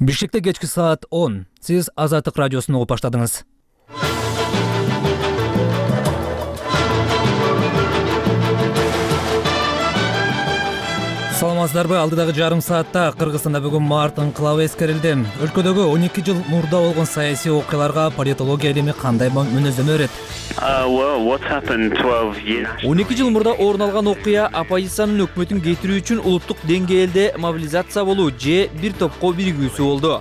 Бишкекте кечки саат 10. Сиз Азаттык радиосун угуп баштадыңыз. Саламатсыздарбы? Алдыдагы жарым саатта Кыргызстанда бүгүн март ыңкылабы эскерилди. Өлкөдөгү 12 жыл мурда болгон саясий окуяларга политология илими кандай мүнөздөмө берет? 12 жыл мурда орун алган окуя оппозициянын өкмөтүн кетирүү үчүн улуттук деңгээлде мобилизация болуу же бир топко биригүүсү болду.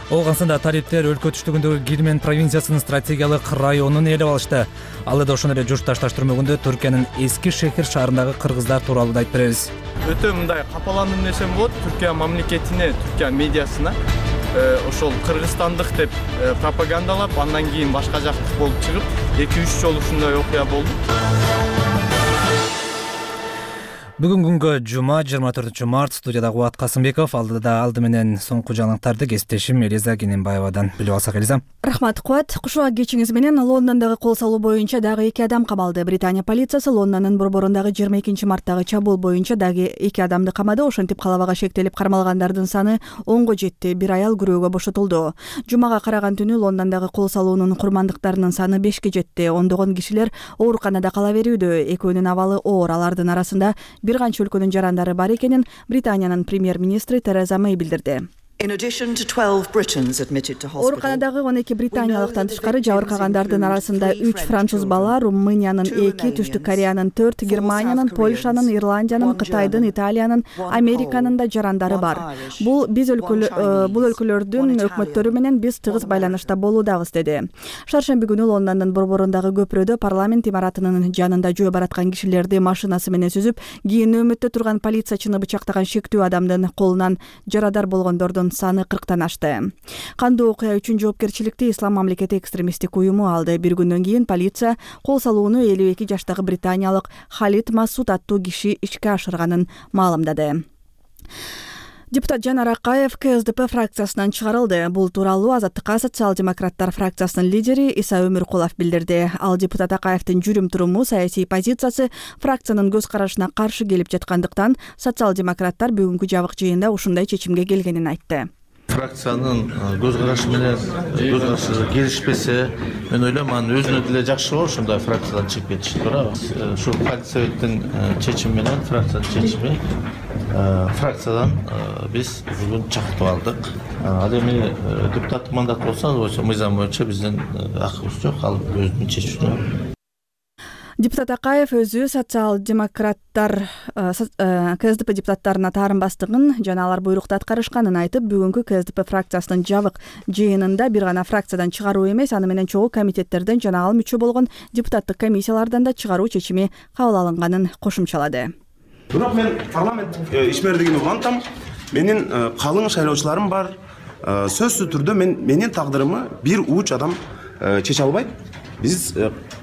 Оогансында талиптер өлкө түштүгүндөгү Кирмен провинциясынын стратегиялык районун ээлеп алышты. Ал эде ошондой эле Журтташтар түрмөгүндө Түркиянын эски шехир шаарындагы кыргыздар тууралуу да айтып беребиз. Өтө мындай капаландым десем болот. Түркия мамлекетине, Түркия медиасына ошол кыргызстандык деп пропагандалап, андан кийин башка жактык болуп чыгып, 2-3 жолу ушундай окуя болду. Бүгүн күнгө жума 24 март, студияда Кубат Касымбеков, алды менен соңку жаңылыктарды кесиптешим Элиза Кененбаевадан билип алсак. Элиза. Рахмат, Кубат. Кушуа кечиңиз менен Лондондогу кол салуу боюнча дагы 2 адам камалды. Британия полициясы Лондондун борборундагы 22 марттагы чабуул боюнча дагы 2 адамды камады. Ошентип калабага шектелип кармалгандардын саны 10го жетти. Бир аял күрөөгө бошотулду. Жумага караган түнү Лондондогу кол салуунун курмандыктарынын саны 5ке жетти. Ондогон кишилер ооруканада кала берүүдө. Экөөнүн абалы оор. Алардын арасында бир канча өлкөнүн жарандары бар экенин Британиянын премьер-министри Тереза Мэй билдирди. Ооруканадагы 12 британиялыктан тышкары жабыркагандардын арасында 3 француз бала, Румыниянын 2, Түштүк Кореянын 4, Германиянын, Польшанын, Ирландиянын, Кытайдын, Италиянын, Американын да жарандары бар. Бул өлкөлөрдүн өкмөттөрү менен биз тыгыз байланышта болуудабыз, деди. Шаршемби күнү Лондондун борборундагы көпүрөдө парламент имаратынын жанында жөө бараткан кишилерди машинасы менен сүзүп, кийин нөөмөттө турган полициячыны бычактаган шектүү адамдын колунан жарадар болгондордун саны 40тан ашты. Кандуу окуя үчүн жоопкерчиликти Ислам мамлекети экстремисттик уюму алды. Бир күндөн кийин полиция кол салууну 52 жаштагы британиялык Халид Масуд аттуу киши ишке ашырганын маалымдады. Депутат Жанар Акаев КСДП фракциясынан чыгарылды. Бул тууралуу Азаттыкка социал-демократтар фракциясынын лидери Иса Өмүркулов билдирди. Ал депутат Акаевдин жүрүм-туруму, саясий позициясы фракциянын көз карашына каршы келип жаткандыктан социал-демократтар бүгүнкү жабык жыйында ушундай чечимге келгенин айтты. Фракциянын көз карашы менен келишпесе, мен ойлойм, анын өзүнө деле жакшы болот ушундай фракциядан чыгып кетиш, туура. Ушу партсоветтин чечими менен, фракциянын чечими фракциядан биз бүгүн чакыртып алдык. Ал эми депутаттык мандат болсо, мыйзам боюнча биздин акыбыз жок, ал өзүнүн чечүүсүнө. Депутат Акаев өзү социал-демократтар КСДП депутаттарына таарынбастыгын жана алар буйрукту аткарышканын айтып, бүгүнкү КСДП фракциясынын жабык жыйынында бир гана фракциядан чыгаруу эмес, аны менен чогуу комитеттерден жана ал мүчө болгон депутаттык комиссиялардан да чыгаруу чечими кабыл алынганын кошумчалады. Бирок мен парламент ишмердигин улантам. Менин калың шайлоочуларым бар. Сөзсүз түрдө менин тагдырымы бир уч адам чече албайт. Биз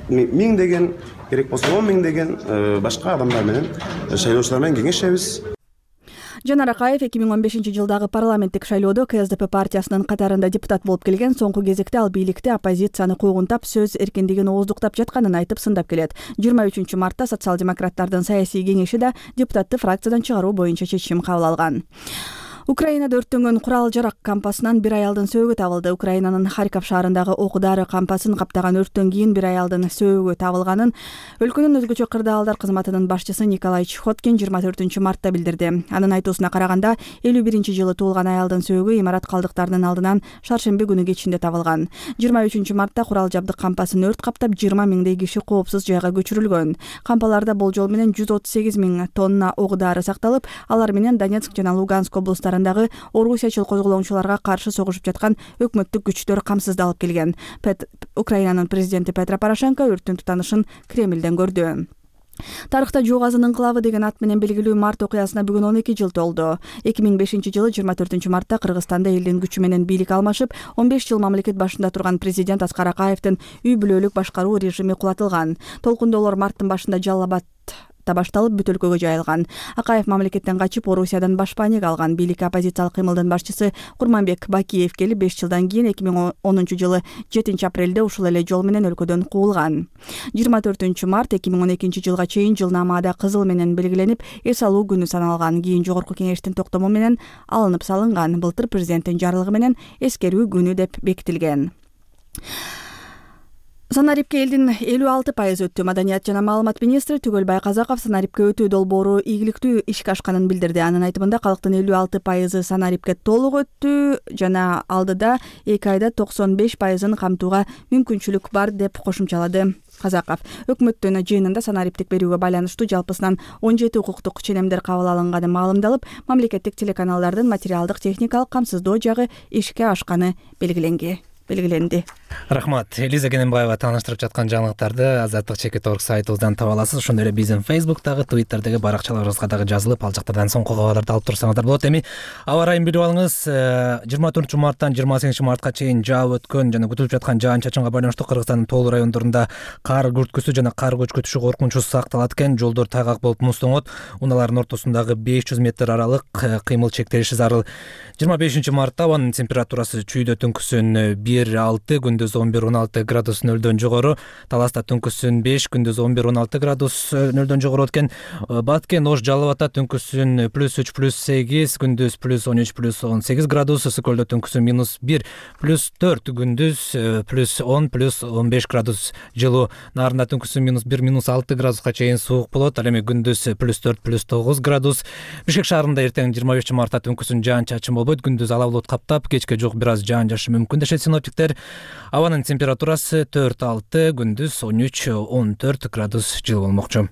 миңдеген, керек болсо 10 миңдеген башка адамдар менен, шайлоочулар менен кеңешебиз. Жанар Акаев 2015 жылдагы парламенттик шайлоодо КСДП партиясынын катарында депутат болуп келген. Соңку кезекте ал бийликти оппозицияны куугунтап, сөз эркиндигин ооздуктап жатканын айтып сындап келет. 23 мартта социал-демократтардын саясий кеңеши да депутатты фракциядан чыгаруу боюнча чечим кабыл алган. Украинада өрттөнгөн курал-жарак кампасынан бир аялдын сөөгү табылды. Украинанын Харьков шаарындагы ок-дары кампасын каптаган өрттөн кийин бир аялдын сөөгү табылганын өлкөнүн өзгөчө кырдаалдар кызматынын башчысы Николай Чхоткин 24 мартта билдирди. Анын айтуусуна караганда, 51-жылы туулган аялдын сөөгү имарат калдыктарынын алдынан шаршемби күнү кечинде табылган. 23 мартта курал-жабдык кампасын өрт каптап 20 миңдей киши коопсуз жайга көчүрүлгөн. Кампаларда болжол менен 138 миң тонна ок-дары сакталып, алар менен Донецк жана Луганск облустары орусиячыл козголоңчуларга каршы согушуп жаткан өкмөттүк күчтөр камсыздалып келген. Украинанын президенти Петро Порошенко өрттүн тутанышын Кремлден көрдү. Тарыхта Жугазын ыңкылабы деген ат менен белгилүү март окуясына бүгүн 12 жыл толду. 2005 жылы 24 мартта Кыргызстанда элдин күчү менен бийлик алмашып, 15 жыл мамлекет башында турган президент Аскар Акаевдин үй бүлөлүк башкаруу режими кулатылган. Толкундоолор марттын башында Жалал Абад мартта башталып бүт өлкөгө жайылган. Акаев мамлекеттен качып Орусиядан башпаанеге алган. Бийлик оппозициялык кыймылдын башчысы Курманбек Бакиев келип 5 жылдан кийин 2010 жылы 7 апрелде ушул эле жол менен өлкөдөн куулган. 24 март 2012 жылга чейин жылнамада кызыл менен белгиленип, эс алуу күнү саналган. Кийин жогорку кеңештин токтому менен алынып салынган. Былтыр президенттин жарлыгы менен эскерүү күнү деп бекитилген. Санарипке элдин 56% өттү. Маданият жана маалымат министри Түгөлбай Казаков Санарипке өтүү долбоору ийгиликтүү ишке ашканын билдирди. Анын айтымында калктын 56% Санарипке толук өттү жана алдыда 2 айда 95%-ын камтууга мүмкүнчүлүк бар деп кошумчалады Казаков. Өкмөттүн жыйынында Санариптик берүүгө байланыштуу жалпысынан 17 укуктук ченемдер кабыл алынганы маалымдалып, мамлекеттик телеканалдардын материалдык техникалык камсыздоо жагы ишке ашканы белгиленди. Рахмат. Элиза Кененбаева тааныштырып жаткан жаңылыктарды Азаттык /org сайтыбыздан таба аласыз. Ошондой эле биздин Facebook'тагы, Twitter'деги баракчаларыбызга дагы жазылып, ал жактардан соңку кабарларды алып турсаңыздар болот. Эми аба ырайын билип алыңыз. 24 марттан 28 мартка чейин жаап өткөн жана күтүлүп жаткан жаан-чачынга байланыштуу Кыргызстандын тоолуу райондорунда кар күрткүсү жана кар көчкүтүшү коркунучу сакталат экен. Жолдор тайгак болуп муздоңот. Унаалардын ортосундагы 500 метр аралык кыймыл чектелиши зарыл. 25 мартта абанын температурасы чүйдө түнкүсүн 1-6, күндүз 11-16 градус нөлдөн жогору, Таласта түнкүсүн 5, күндүз 11-16 градус нөлдөн жогору өткен. Баткен, Ош, Жалал Абадта түнкүсүн +3, +8, күндүз +13, +18 градус, Ысык көлдө түнкүсүн -1, +4, күндүз +10, +15 градус жылуу. Нарында түнкүсүн -1, -6 градуска чейин суук болот. Ал эми күндүз +4, +9 градус. Бишкек шаарында эртең 25 мартта түнкүсүн жаан-чачын болбойт, күндүз ала булут каптап, кечке жок бир аз жаан жаашы мүмкүн дешет синоптиктер. Абанын температурасы 4-6, күндүз 13-14 градус жылуу болмокчу.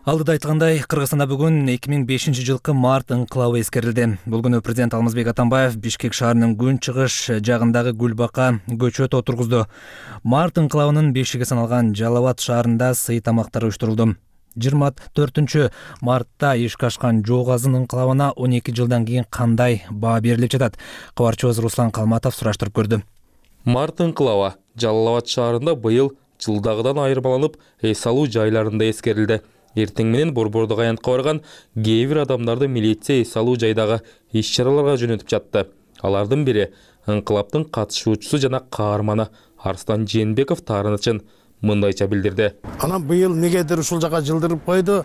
Алдыда айткандай, Кыргызстанда бүгүн 2005 жылкы март ыңкылабы эскерилди. Бул күнү президент Алмазбек Атамбаев Бишкек шаарынын күн чыгыш жагындагы Гүлбака көчөт отургузду. Март ыңкылабынын бешиги саналган Жалал Абад шаарында сый тамактар уюштурулду. 24 мартта ишке ашкан Жок Азын ыңкылабына 12 жылдан кийин кандай баа берилип жатат? Кабарчыбыз Руслан Калматов сураштырып көрдү. Март ыңкылаба Жалал Абад шаарында быйыл жылдагыдан айырмаланып, эс алуу жайларында эскерилди. Эртең менен Борбордук аянтка барган кээ бир адамдарды милиция эс алуу жайдагы иш-чараларга жөнөтүп жатты. Алардын бири ыңкылаптын катышуучусу жана каарманы Арслан Жээнбеков таарынычын мындайча билдирди. Анан быйыл негедир ушул жака жылдырып койду.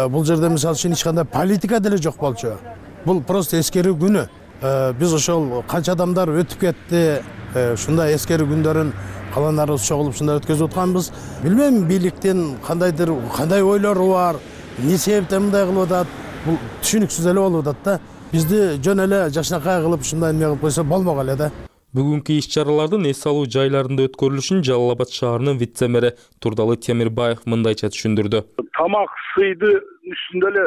Бул жерде мисалы үчүн эч кандай политика деле жок болчу. Бул просто эскерүү күнү. Биз ошол канча адамдар өтүп кетти, ушундай эскерүү күндөрүн каландарыбыз чогулуп ушундай өткөзүп атканбыз. Билбейм, бийликтин кандай ойлору бар, эмне себептен мындай кылып атат, бул түшүнүксүз эле болуп атат да. Бизди жөн эле жакшынакай кылып ушундай эме кылып койсо болмок эле да. Бүгүнкү иш-чаралардын эс алуу жайларында өткөрүлүшүн Жалал Абад шаарынын вице-мэри Турдалы Темирбаев мындайча түшүндүрдү. Тамак сыйды үстүндө эле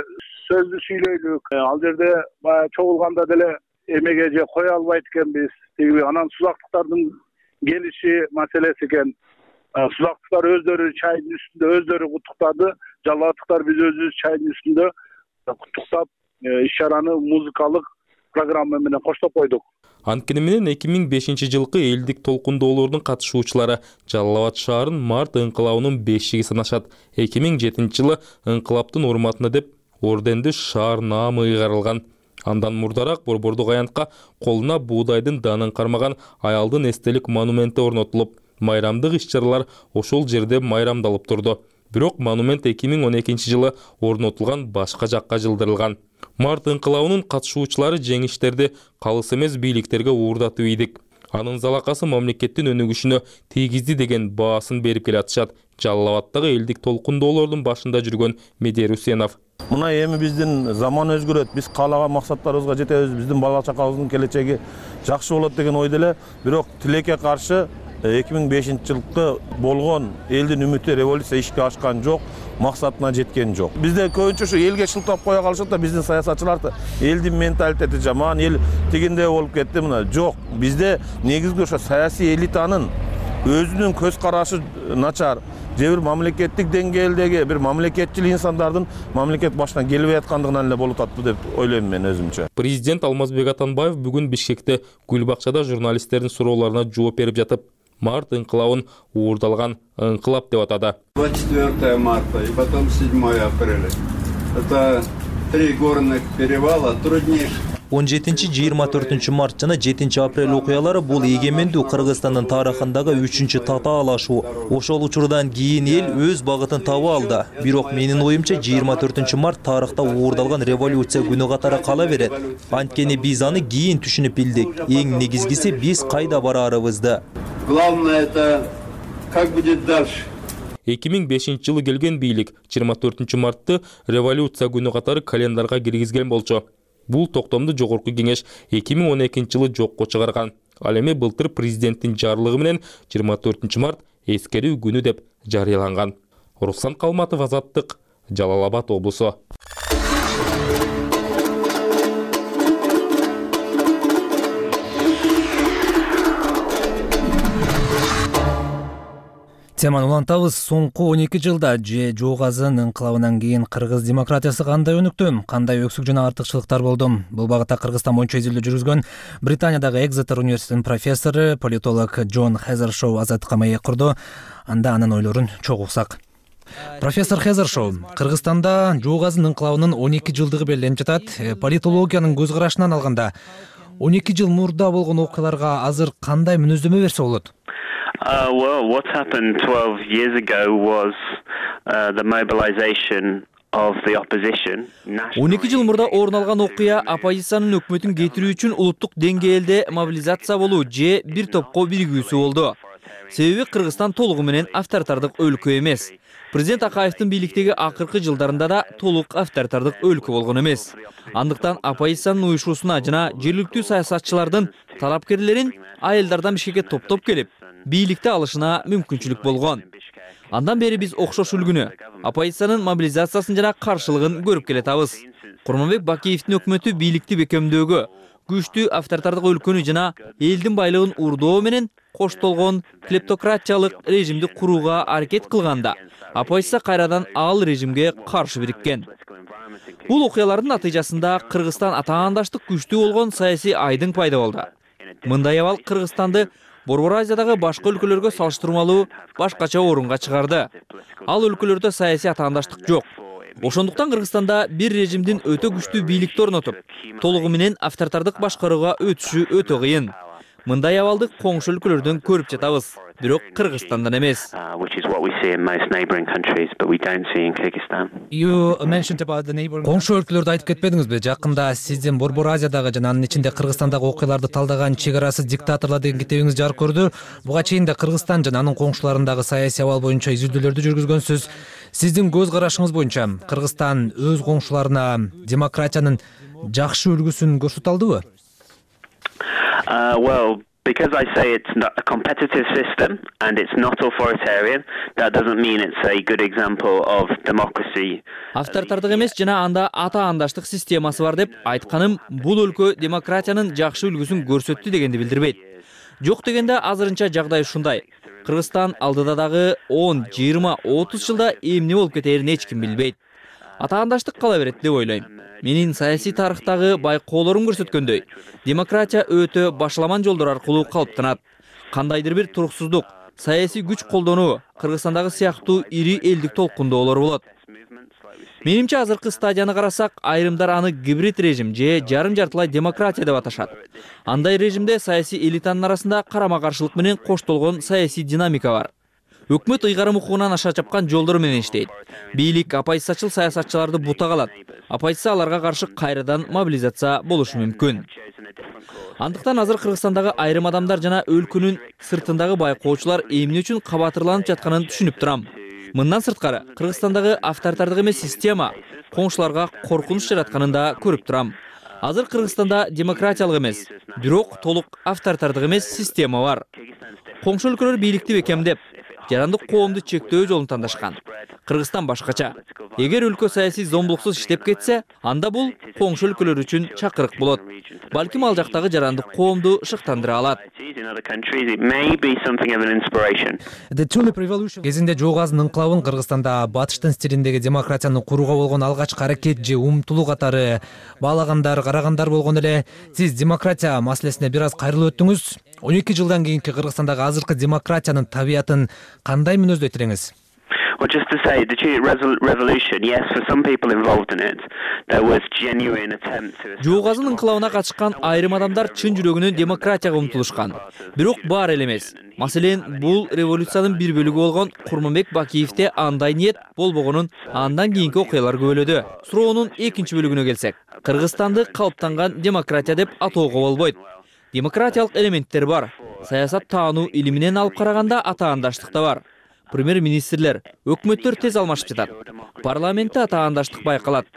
сөздү сүйлөйлүк. Ал жерде баягы чогулганда деле эмеге же кое албайт экенбиз. Анан сузактыктардын келиши маселеси экен. Сузактыктар өздөрү чайдын үстүндө өздөрү куттуктады. Жалалаттыктар биз өзүбүз чайдын үстүндө куттуктап иш-чараны музыкалык программа менен коштоп койдук. Анткени менен 2005 жылкы элдик толкундоолордун катышуучулары Жалал Абад шаарын март ыңкылабынын бешиги санашат. 2007 жылы ыңкылаптын урматына деп орденди шаар наамы ыйгарылган. Андан мурдараак Борбордук аянтка колуна буудайдын данын кармаган аялдын эстелик монументи орнотулуп, майрамдык иш-чаралар ошол жерде майрамдалып турду. Бирок монумент 2012 жылы орнотулган башка жакка жылдырылган. Март ыңкылабынын катышуучулары жеңиштерди калыс эмес бийликтерге уурдатып ийдик. Анын залакасы мамлекеттин өнүгүшүнө тийгизди деген баасын берип келатышат. Жалал Абадтагы элдик толкундоолордун башында жүргөн Медер Усенов. Мына эми биздин заман өзгөрөт, биз каалаган максаттарыбызга жетебиз, биздин бала чакабыздын келечеги жакшы болот деген ойдо эле, бирок тилекке каршы 2005 жылкы болгон элдин үмүтү революция ишке ашкан жок, максатына жеткен жок. Бизде көбүнчө ушу элге шылтап кое калышат да, биздин саясатчыларды элдин менталитети жаман, эл тигиндей болуп кетти, мына жок. Бизде негизги ошо саясий элитанын өзүнүн көз карашы начар, же бир мамлекеттик деңгээлдеги бир мамлекетчил инсандардын мамлекет башына келбей аткандыгынан эле болуп атпы деп ойлойм мен өзүмчө. Президент Алмазбек Атамбаев бүгүн Бишкекте Гүл бакчада журналисттердин суроолоруна жооп берип жатып, март ыңкылабын уурдалган ыңкылап деп атады. 24 марта и потом 7 апреля. Это 3 горных перевала, труднейших. 17-24 март жана 7 апрель окуялары бул эгемендүү Кыргызстандын тарыхындагы 3-чү татаалашуу. Ошол учурдан кийин эл өз багытын таба алды. Бирок менин оюмча 24 март тарыхта уурдалган революция күнү катары кала берет. Анткени биз аны кийин түшүнүп билдик. Эң негизгиси биз кайда барарыбызды. Главное это как будет дальше. 2005-жылы келген бийлик 24 мартты революция күнү катары календарга киргизген болчу. Бул токтомду жогорку кеңеш 2012-жылы жокко чыгарган. Ал эми былтыр президенттин жарлыгы менен 24 март эскерүү күнү деп жарыяланган. Руслан Калматов, Азаттык, Жалал Абад облусу. Теманы улантабыз. Соңку 12 жылда же Жоогазын ыңкылабынан кийин кыргыз демократиясы кандай өнүктү, кандай өксүк жана артыкчылыктар болду? Бул багытта Кыргызстан боюнча изилдөө жүргүзгөн Британиядагы Экзетер университетинин профессору, политолог Джон Хезершоу Азаттыкка маек курду. Анда анын ойлорун чогуу уксак. Профессор Хезершоу, Кыргызстанда Жоогазын ыңкылабынын 12 жылдыгы белгиленип жатат. Политологиянын көз карашынан алганда 12 жыл мурда болгон окуяларга азыр кандай мүнөздөмө берсе болот? Well, what happened 12 years ago was the mobilization of the opposition. 12 жыл мурда орун алган окуя оппозициянын өкмөтүн кетирүү үчүн улуттук деңгээлде мобилизация болуу же бир топко биригүүсү болду. Себеби Кыргызстан толугу менен авторитардык өлкө эмес. Президент Акаевдин бийликтеги акыркы жылдарында да толук авторитардык өлкө болгон эмес. Андыктан оппозициянын уюшуусуна жана жергиликтүү саясатчылардын талапкерлерин айылдардан Бишкекке топтоп келип, бийликти алышына мүмкүнчүлүк болгон. Андан бери биз окшош үлгүнү, оппозициянын мобилизациясын жана каршылыгын көрүп келатабыз. Курманбек Бакиевдин өкмөтү бийликти бекемдөөгө, күчтүү авторитардык өлкөнү жана элдин байлыгын урдоо менен коштолгон клептократиялык режимди курууга аракет кылганда, оппозиция кайрадан ал режимге каршы бириккен. Бул окуялардын натыйжасында Кыргызстан атаандаштык күчтүү болгон саясий айдың пайда болду. Мындай абал Кыргызстанды Борбор Азиядагы башка өлкөлөргө салыштырмалуу башкача орунга чыгарды. Ал өлкөлөрдө саясий атаандаштык жок. Ошондуктан Кыргызстанда бир режимдин өтө күчтүү бийликти орнотуп, толугу менен авторитардык башкарууга өтүшү өтө кыйын. Мындай абалды коңшу өлкөлөрдөн көрүп жатабыз, бирок Кыргызстандан эмес. Коңшу өлкөлөрдү айтып кетпедиңизби? Жакында сиздин Борбор Азиядагы жана анын ичинде Кыргызстандагы окуяларды талдаган чек арасы диктаторлор деген китебиңиз жарык көрдү. Буга чейин да Кыргызстан жана анын коңшуларындагы саясий абал боюнча изилдөөлөрдү жүргүзгөнсүз. Сиздин көз карашыңыз боюнча Кыргызстан өз коңшуларына демократиянын жакшы үлгүсүн көрсөтө алдыбы? Well, because I say it's not a competitive system and it's not authoritarian, that doesn't mean it's a good example of democracy. Авторитардык эмес жана анда атаандаштык системасы бар деп айтканым бул өлкө демократиянын жакшы үлгүсүн көрсөттү дегенди билдирбейт. Жок дегенде азырынча жагдай ушундай. Кыргызстан алдыда дагы 10, 20, 30 жылда эмне болуп кетерин эч ким билбейт. Атаандаштык кала берет деп ойлойм. Менин саясий тарыхтагы байкоолорум көрсөткөндөй, демократия өтө башаламан жолдор аркылуу калыптанат. Кандайдыр бир туруксуздук, саясий күч колдонуу Кыргызстандагы сыяктуу ири элдик толкундоолор болот. Менимче азыркы стадияны карасак, айрымдар аны гибрид режим же жарым-жартылай демократия деп аташат. Андай режимде саясий элитанын арасында карама-каршылык менен коштолгон саясий динамика бар. Өкмөт ыйгарым укугунан аша чапкан жолдор менен иштейт. Бийлик оппозициячыл саясатчыларды бутага алат. Оппозиция аларга каршы кайрадан мобилизация болушу мүмкүн. Андыктан азыр Кыргызстандагы айрым адамдар жана өлкөнүн сыртындагы байкоочулар эмне үчүн кабатырланып жатканын түшүнүп турам. Мындан сырткары Кыргызстандагы авторитардык эмес система коңшуларга коркунуч жаратканын да көрүп турам. Азыр Кыргызстанда демократиялык эмес, бирок толук авторитардык эмес система бар. Коңшу өлкөлөр бийликти бекемдеп, жарандык коомду чектөө жолун тандашкан. Кыргызстан башкача. Эгер өлкө саясий зомбулуксуз иштеп кетсе, анда бул коңшу өлкөлөр үчүн чакырык болот. Балким ал жактагы жарандык коомду шыктандыра алат. Кезинде Жоо газынын ыңкылабын Кыргызстанда батыштын стилиндеги демократияны курууга болгон алгачкы аракет же умтулуу катары карагандар болгон эле. Сиз демократия маселесине бир аз кайрылып өттүңүз. 12 жылдан кийинки Кыргызстандагы азыркы демократиянын табиятын кандай мүнөздөйт элеңиз? Well, just to say, the Jute Revolution, yes, for some people involved in it, there was genuine attempt to... Жоо газынын ыңкылабына катышкан айрым адамдар чын жүрөгүнөн демократияга умтулушкан. Бирок бар эле эмес. Маселен, бул революциянын бир бөлүгү болгон Курманбек Бакиевде андай ниет болбогонун андан кийинки окуялар көбөлөдү. Суроонун экинчи бөлүгүнө келсек, Кыргызстанды калыптанган демократия деп атоого болбойт. Демократиялык элементтер бар. Саясат таануу илиминен алып караганда атаандаштык да бар. Премьер-министрлер, өкмөттөр тез алмашып жатат. Парламентте атаандаштык байкалат.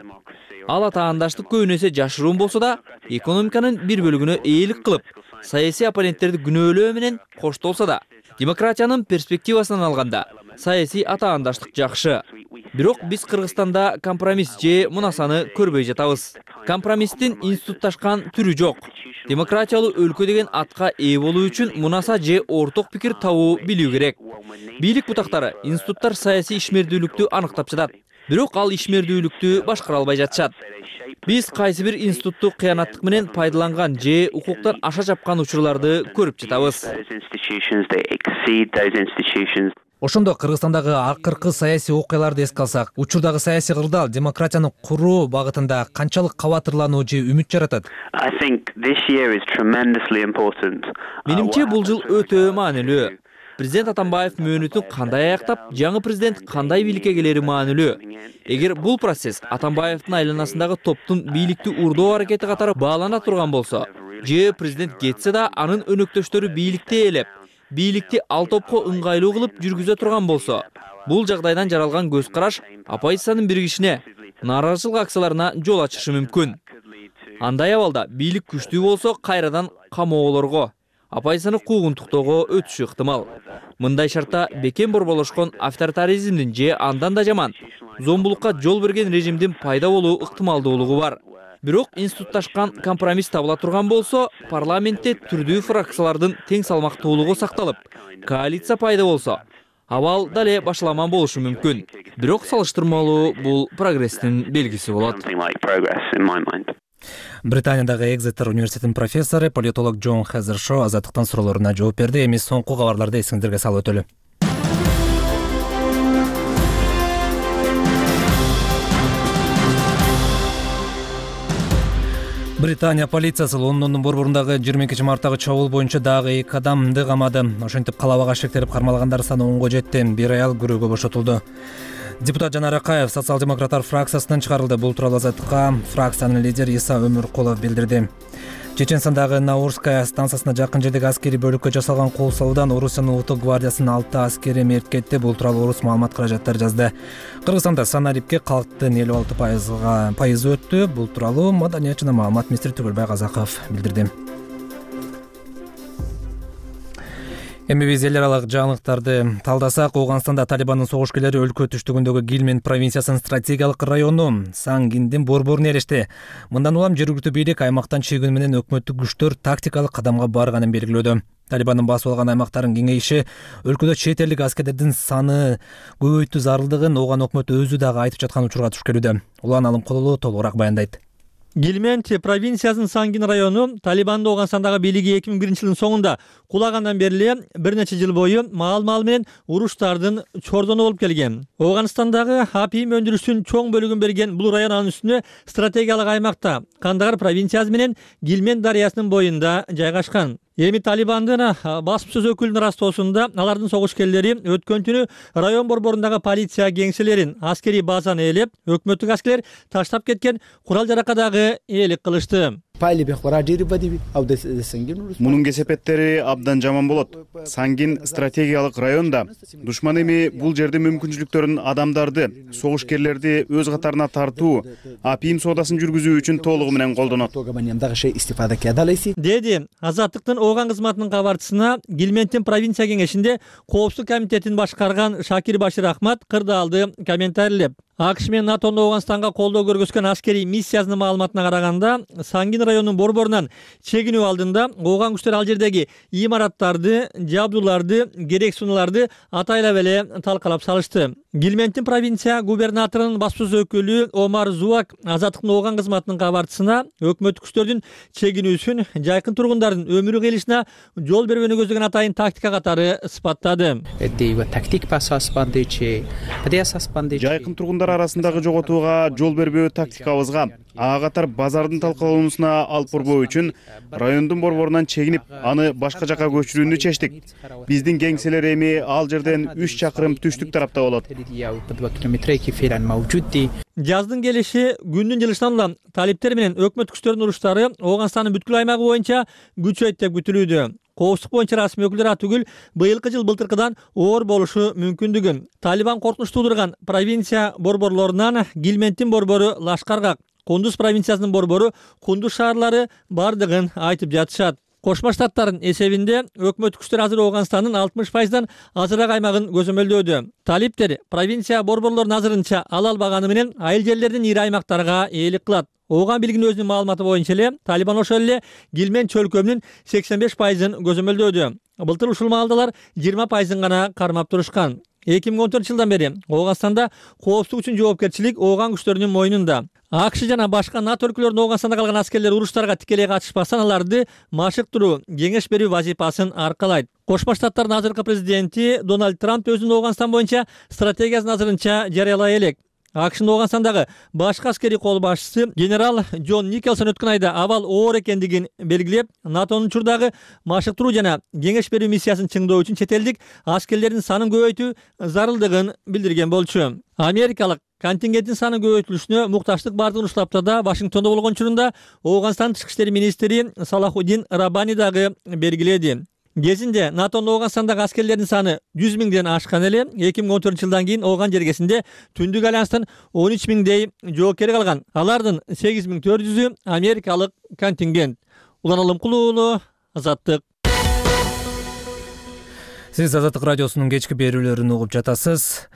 Ал атаандаштык көбүнесе жашыруун болсо да, экономиканын бир бөлүгүнө ээлик кылып, саясий оппоненттерди күнөөлөө менен коштолсо да, демократиянын перспективасынан алганда, саясий атаандаштык жакшы. Бирок биз Кыргызстанда компромисс же мунасаны көрбөй жатабыз. Компромисстин институтташкан түрү жок. Демократиялуу өлкө деген атка ээ болуу үчүн мунаса же орток пикир табуу билүү керек. Бийлик бутактары, институттар саясий ишмердүүлүктү аныктап жатат. Бирок ал ишмердүүлүктү башкара албай жатышат. Биз кайсы бир институтту кыянаттык менен пайдаланган же укуктан аша чапкан учурларды көрүп жатабыз. Ошондо Кыргызстандагы акыркы саясий окуяларды эске алсак, учурдагы саясий кырдаал демократияны куруу багытында канчалык кабатырлануу же үмүт жаратат? Менимче бул жыл өтө маанилүү. Президент Атамбаев мөөнөтүн кандай аяктап, жаңы президент кандай бийликке келери маанилүү. Эгер бул процесс Атамбаевдин айланасындагы топтун бийликти урдоо аракети катары баалана турган болсо, же президент кетсе да анын өнөктөштөрү бийликти ээлеп, бийликти ал топко ыңгайлуу кылып жүргүзө турган болсо, бул жагдайдан жаралган көз караш оппозициянын биригишине, нааразычылык акцияларына жол ачышы мүмкүн. Андай абалда бийлик күчтүү болсо кайрадан камоолорго, оппозицияны куугунтуктоого өтүшү ыктымал. Мындай шартта бекем борболошкон авторитаризмдин же андан да жаман зомбулукка жол берген режимдин пайда болуу ыктымалдуулугу бар. Бирок институтташкан компромисс табыла турган болсо, парламентте түрдүү фракциялардын тең салмактуулугу сакталып, коалиция пайда болсо, абал дале башаламан болушу мүмкүн. Бирок салыштырмалуу бул прогресстин белгиси болот. Британиядагы Экзетер университетинин профессору, политолог Джон Хезершо Азаттыктын суроолоруна жооп берди. Эми соңку кабарларды эсиңиздерге салып өтөлү. Британия полициясы Лондондун борборундагы 22-марттагы чабуул боюнча дагы 2 адамды камады. Ошентип калабага шектелип кармалгандар саны 10го жетти. Бир аял күрөөгө бошотулду. Депутат Жанар Акаев социал-демократтар фракциясынан чыгарылды. Бул тууралуу Азаттыкка фракциянын лидери Иса Өмүркулов билдирди. Чеченстандагы Наурская станциясына жакын жердеги аскерий бөлүккө жасалган кол салуудан Орусиянын улуттук гвардиясынын 6 аскери мерт кетти. Бул тууралуу Орус маалымат каражаттары жазды. Кыргызстанда санарипке калктын 56% өттү. Бул тууралуу Маданият жана маалымат министри Түгөлбай Казаков билдирди. Эми биз эл аралык жаңылыктарды талдасак, Ооганстанда Талибандын согушкерлери өлкө түштүгүндөгү Гилмен провинциясынын стратегиялык району Сангиндин борборуна эрешти. Мындан улам жергиликтүү бийлик аймактан чегүү менен өкмөттүк күчтөр тактикалык кадамга барганын белгилөөдө. Талибандын басып алган аймактарын кеңейиши өлкөдө чет элдик аскерлердин саны көбөйтүү зарылдыгын Ооган өкмөтү өзү дагы айтып жаткан учурга туш келүүдө. Улан Алымкулуу толугураак баяндайт. Гилмен провинциясынын Сангин району Талибандын Ооганстандагы бийлиги 2001-жылдын соңунда кулагандан бери бир нече жыл бою маал менен уруштардын чордону болуп келген. Ооганстандагы апийим өндүрүшүнүн чоң бөлүгүн берген бул район анын үстүнө стратегиялык аймакта, Кандагар провинциясы менен Гилмен дарыясынын боюнда жайгашкан. Эми Талибандын басып сөз өкүлүнүн растоосунда алардын согушкерлери өткөн түнү район борборундагы полиция кеңселерин, аскерий базаны ээлеп, өкмөттүк аскерлер таштап кеткен курал-жаракка дагы ээлик кылышты. Мунун кесепеттери абдан жаман болот. Сангин стратегиялык районда душман эми бул жерде мүмкүнчүлүктөрүн адамдарды, согушкерлерди өз катарына тартуу, апийим соодасын жүргүзүү үчүн толугу менен колдонот. Деди Азаттыктын Ооган кызматынын кабарчысына Гилменттин провинция кеңешинде коопсуздук комитетин башкарган Шакир Башир Ахмат кырдаалды комментарийлеп. АКШ менен НАТОнун Ооганстanga колдоо көргөзгөн аскерий миссиясынын маалыматына караганда, Сангин районунун борборунан чегинүү алдында Ооган күчтөр ал жердеги имараттарды, жабдууларды, керек сунуларды атайлап эле талкалап салышты. Гилменттин провинция губернаторунун баспасөз өкүлү Омар Зуак Азаттыктын Ооган кызматынын кабарчысына өкмөттүк күчтөрдүн чегинүүсүн жайкын тургундардын өмүрү кыйылышына жол бербөөнү көздөгөн атайын тактика катары сыпаттады. Жайкын тургундар арасындагы жоготууга жол бербөө тактикабызга, ага катар базардын талкалануусуна алып барбоо үчүн райондун борборунан чегинип, аны башка жака көчүрүүнү чечтик. Биздин кеңселер эми ал жерден 3 чакырым түштүк тарапта болот. Жаздын келиши күндүн жылышынан улам талиптер менен өкмөт күчтөрүнүн уруштары Ооганстандын бүткүл аймагы боюнча күчөйт деп күтүлүүдө. Коопсуздук боюнча расмий өкүлдөр атүгүл быйылкы жыл былтыркыдан оор болушу мүмкүндүгүн. Талибан коркунуч туудурган провинция борборлорунан Гилменттин борбору Лашкаргак, Кундуз провинциясынын борбору Кундуз шаарлары бардыгын айтып жатышат. Кошмо Штаттардын эсебинде өкмөт күчтөр азыр Ооганстандын 60%дан азыраак аймагын көзөмөлдөөдө. Талиптер провинция борборлорунун азырынча ала албаганы менен айыл жерлердин ири аймактарга ээлик кылат. Ооган билигинин өзүнүн маалыматы боюнча эле Талибан ошол эле Гилмен чөлкөмүнүн 85%ын көзөмөлдөөдө. Былтыр ушул маалдалар 20%ын гана кармап турушкан. 2014-жылдан бери Ооганстанда коопсуздук үчүн жоопкерчилик Ооган күчтөрүнүн мойнунда. АКШ жана башка НАТО өлкөлөрүнүн Ооганстанда калган аскерлер уруштарга тикелей катышпастан аларды машыктыруу, кеңеш берүү вазифасын аркалайт. Кошмо Штаттардын азыркы президенти Дональд Трамп өзүнүн Ооганстан боюнча стратегиясын азырынча жарыялай элек. АКШнын Ооганстандагы башкы аскерий кол башчысы генерал Джон Николсон өткөн айда абал оор экендигин белгилеп, НАТОнун учурдагы машыктыруу жана кеңеш берүү миссиясын чыңдоо үчүн чет элдик аскерлердин санын көбөйтүү зарылдыгын билдирген болчу. Америкалык контингенттин саны көбөйтүлүшүнө мукташтык бардыгын ушул аптада Вашингтондо болгон учурунда Ооганстан тышкы иштер министри Салахуддин Раббани дагы белгиледи. Кезинде НАТОнун Ооганстандагы аскерлердин саны 100 миңден ашкан эле 2014-жылдан кийин Ооган жергесинде Түндүк альянстын 13 миңдей жоокери калган. Алардын 8400-ү америкалык контингент. Улан Алымкулуу уулу, Азаттык. Сиз Азаттык радиосунун кечки берүүлөрүн угуп жатасыз.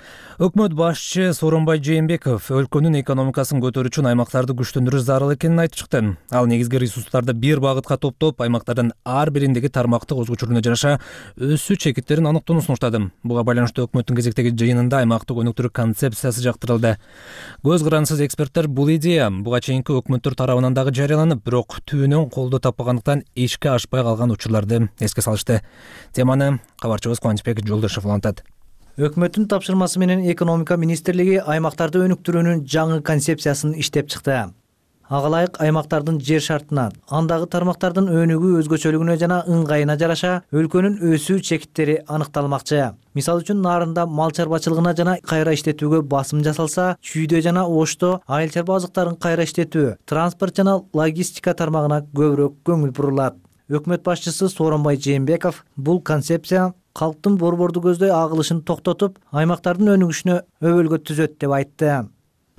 Өкмөт башчы Сооронбай Жээнбеков өлкөнүн экономикасын көтөрүү үчүн аймактарды күчтөндүрүү зарыл экенин айтып чыкты. Ал негизги ресурстарды бир багытка топтоп, аймактардын ар бириндеги тармактык өзгөчөлүгүнө жараша өсүү чекиттерин аныктоону сунуштады. Буга байланыштуу өкмөттүн кезектеги жыйынында аймактык өнүктүрүү концепциясы жактырылды. Көз карансыз эксперттер бул идея буга чейинки өкмөттөр тарабынан дагы жарыяланып, бирок түбүнөн колдоо таппагандыктан ишке ашпай калган учурларды эске салышты. Теманы кабарчыбыз Кубанычбек Жолдошев улантат. Өкмөттүн тапшырмасы менен экономика министрлиги аймактарды өнүктүрүүнүн жаңы концепциясын иштеп чыкты. Ага ылайык аймактардын жер шартына, андагы тармактардын өнүгүү өзгөчөлүгүнө жана ыңгайына жараша өлкөнүн өсүү чекиттери аныкталмакчы. Мисалы үчүн нарында мал чарбачылыгына жана кайра иштетүүгө басым жасалса, чүйдө жана ошто айыл чарба азыктарын кайра иштетүү, транспорт жана логистика тармагына көбүрөөк көңүл бурулат. Өкмөт башчысы Сооронбай Жээнбеков бул концепция калктын борборду көздөй агылышын токтотуп, аймактардын өнүгүшүнө өбөлгө түзөт деп айтты.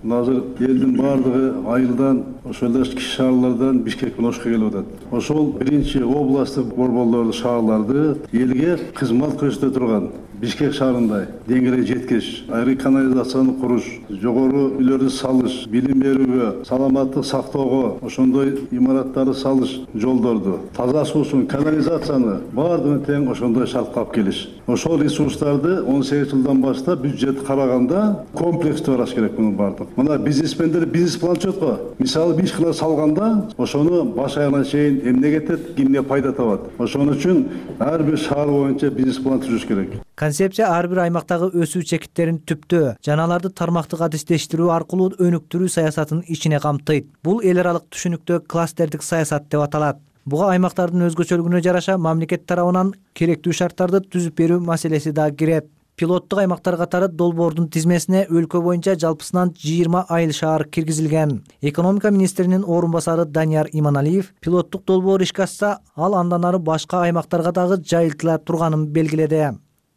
Азыр элдин бардыгы айылдан, ошол эле кичи шаарлардан Бишкек менен Ошко келип атат. Ошол биринчи областтык борборлорду, шаарларды элге кызмат көрсөтө турган Бишкек шаарындай деңгээлге жеткириш, айры канализацияны куруш, жогору үйлөрдү салыш, билим берүүгө, саламаттык сактоого, ошондой имараттарды салыш, жолдорду, таза суусун, канализацияны бардыгын тең ошондой шартка алып келиш. Ошол ресурстарды 18 жылдан баштап бюджет караганда комплекстүү караш керек мунун бардык. Мына бизнесмендер бизнес план чөткө. Мисалы бир ишкана салганда, ошону баш аягына чейин эмне кетет, кимге пайда табат. Ошон үчүн ар бир шаар боюнча бизнес план түзүш керек. Концепция ар бир аймактагы өсүү чекиттерин түптөө жана аларды тармактык адистештирүү аркылуу өнүктүрүү саясатын ичине камтыйт. Бул эл аралык түшүнүктө кластердик саясат деп аталат. Буга аймактардын өзгөчөлүгүнө жараша мамлекет тарабынан керектүү шарттарды түзүп берүү маселеси да кирет. Пилоттук аймактар катары долбоордун тизмесине өлкө боюнча жалпысынан 20 айыл шаар киргизилген. Экономика министринин орун басары Данияр Иманалиев пилоттук долбоор ишке ашса, ал андан ары башка аймактарга дагы жайылтыла турганын белгиледи.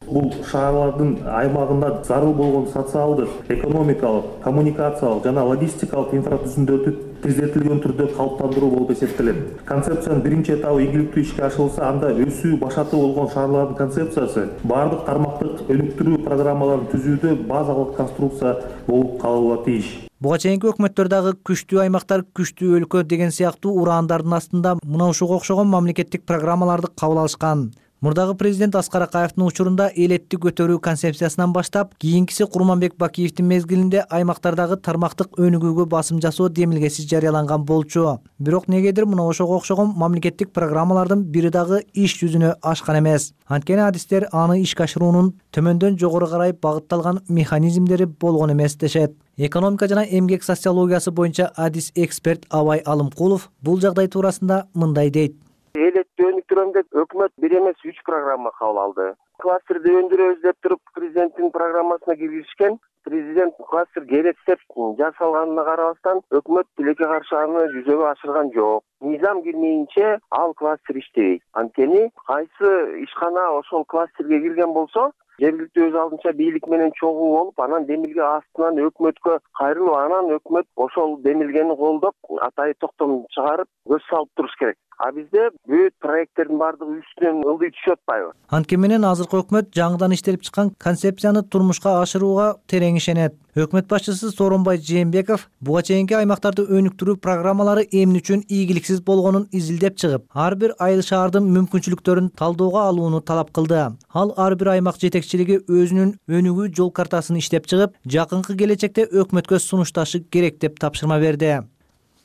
Бул шаарлардын аймагында зарыл болгон социалдык, экономикалык, коммуникациялык жана логистикалык инфратүзүмдөрдү тездетилген түрдө калыптандыруу болуп эсептелет. Концепциянын биринчи этабы ийгиликтүү ишке ашырылса, анда өсүү башаты болгон шаарлардын концепциясы бардык тармактык өнүктүрүү программаларын түзүүдө базалык конструкция болуп калууга тийиш. Буга чейинки өкмөттөр дагы күчтүү аймактар, күчтүү өлкө деген сыяктуу ураандардын астында мына ушуга окшогон мамлекеттик программаларды кабыл алышкан. Мурдагы президент Аскар Акаевдин учурунда элетти көтөрүү концепциясынан баштап, кийинкиси Курманбек Бакиевдин мезгилинде аймактардагы тармактык өнүгүүгө басым жасоо демилгеси жарыяланган болчу. Бирок негедир мына ошого окшогон мамлекеттик программалардын бири дагы иш жүзүнө ашкан эмес. Анткени адистер аны ишке ашыруунун төмөндөн жогору карай багытталган механизмдери болгон эмес дешет. Экономика жана эмгек социологиясы боюнча адис эксперт Абай Алымкулов бул жагдай туурасында мындай дейт. Элетти өнүктүрөм деп өкмөт 1 эмес 3 программа кабыл алды. Кластерди өндүрөбүз деп туруп президенттин программасына киргизишкен. Президент кластер керек деп жасалганына карабастан өкмөт тилекке каршы аны жүзөгө ашырган жок. Низам кирмейинче ал кластер иштебейт. Анткени кайсы ишкана ошол кластерге кирген болсо, жергиликтүү өз алдынча бийлик менен чогуу болуп, анан демилге астынан өкмөткө кайрылып, анан өкмөт ошол демилгени колдоп, атайы токтом чыгарып, көз салып туруш керек. А бизде бүт проекттердин бардыгы үстүнөн ылдый түшүп атпайбы? Анткени менен азыркы өкмөт жаңыдан иштелип чыккан концепцияны турмушка ашырууга терең ишенет. Өкмөт башчысы Сооронбай Жээнбеков буга чейинки аймактарды өнүктүрүү программалары эмне үчүн ийгиликсиз болгонун изилдеп чыгып, ар бир айыл шаардын мүмкүнчүлүктөрүн талдоого алууну талап кылды. Ал ар бир аймак жетекчилиги өзүнүн өнүгүү жол картасын иштеп чыгып, жакынкы келечекте өкмөткө сунушташы керек деп тапшырма берди.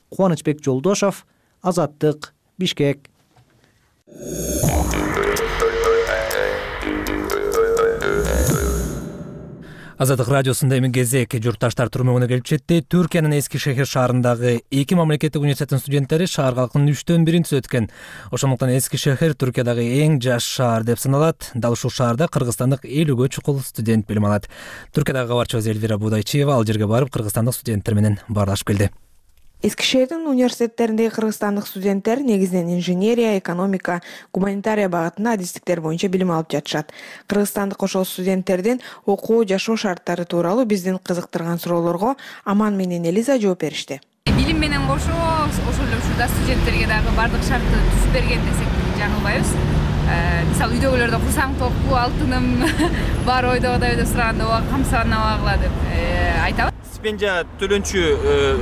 Кубанычбек Жолдошов, Азаттык, Бишкек. Азаттык радиосунда эми кезек журтташтар турмөгүнө келип жетти. Түркиянын Эскишехир шаарындагы 2 мамлекеттик университеттин студенттери шаар калкынын 3/1 түзөткөн. Ошондуктан Эскишехир Түркиядагы эң жаш шаар деп саналат. Дал ушул шаарда кыргызстандык 50гө чукул студент билим алат. Түркиядагы кабарчыбыз Эльвира Будайчиева ал жерге барып кыргызстандык студенттер менен баарлашып келди. Эскишехирдин университеттериндеги кыргызстандык студенттер негизинен инженерия, экономика, гуманитария багытында адистиктер боюнча билим алып жатышат. Кыргызстандык ошол студенттердин окуу, жашоо шарттары тууралуу биздин кызыктырган суроолорго Аман менен Элиза жооп беришти. Билим менен кошо ошол эле ушурда студенттерге дагы бардык шартты түзүп берген десек жаңылбайбыз. Мисалы үйдөгүлөр да курсаң топку, алтыным бар ойдогудай деп сураганда ооба камсанабагыла деп айтабыз. Стипендия төлөнчү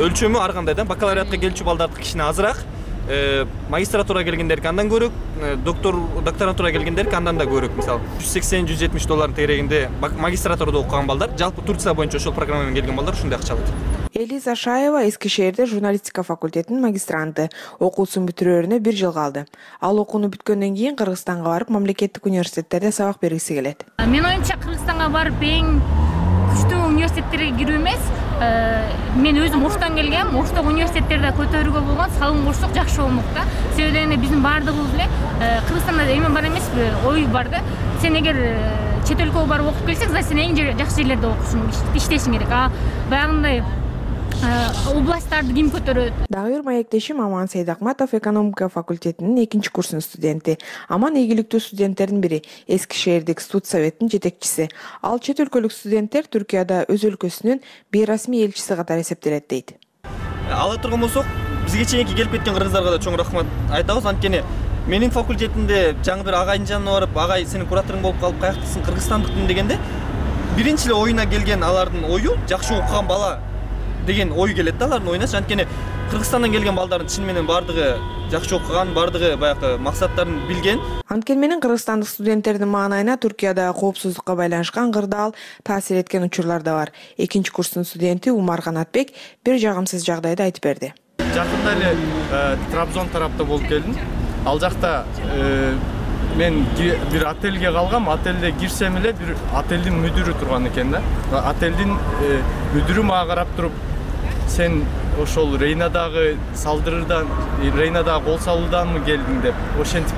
өлчөмү ар кандай да, бакалавриатка келчү балдардыкы кичине азыраак, магистратурага келгендердики андан көрөк, докторантурага келгендердики андан да көрөк. Мисалы $180–170 тегерегинде магистратурада окуган балдар, жалпы Турция боюнча ошол программа менен келген балдар ушундай акча алат. Элиза Шаева Эскишехирде журналистика факультетинин магистранты. Окуусун бүтүрөрүнө 1 жыл калды. Ал окууну бүткөндөн кийин Кыргызстанга барып, мамлекеттик университеттерде сабак бергиси келет. Мен оюмча Кыргызстанга барып эң күчтүү университеттерге кирүү эмес, мен өзүм Оштон келгем. Оштогу университеттерде көтөрүүгө болгон салым курсук жакшы болмок да. Себеби дегенде биздин баардыгыбыз эле Кыргызстанда эме бар эмеспи, ой бар да. Сен эгер чет өлкөгө барып окуп келсең, сен эң жакшы жерлерде окушуң, иштешиң керек. А баягындай областтарды ким көтөрөт? Дагы бир маектешим Аман Сейдакматов экономика факультетинин 2 курсунун студенти. Аман ийгиликтүү студенттердин бири, Эскишехирдик студ советтин жетекчиси. Ал чет өлкөлүк студенттер Түркияда өз өлкөсүнүн бейрасмий элчиси катары эсептелет дейт. Ала турган болсок, бизге чейинки келип кеткен кыргыздарга да чоң рахмат айтабыз. Анткени менин факультетимде жаңы бир агайдын жанына барып, агай сенин кураторуң болуп калып, каяктасың, кыргызстандыкмын дегенде, биринчи эле оюна келген алардын ою жакшы окуган бала деген ой келет да алардын оюна. Анткени Кыргызстандан келген балдардын чын менен бардыгы жакшы окуган, бардыгы баягы максаттарын билген. Анткени менен кыргызстандык студенттердин маанайына Түркияда коопсуздукка байланышкан кырдаал таасир эткен учурлар да бар. 2 курстун студенти Умар Канатбек бир жагымсыз жагдайды айтып берди. Жакында эле Трабзон тарапта болуп келдим. Ал жакта мен бир отельге калгам, отелде кирсем эле бир отелдин мүдүрү турган экен да. Отелдин мүдүрү мага карап туруп, сен ошол Рейнадагы салдырырдан, Рейнадагы кол салууданмы келдиң деп ошентип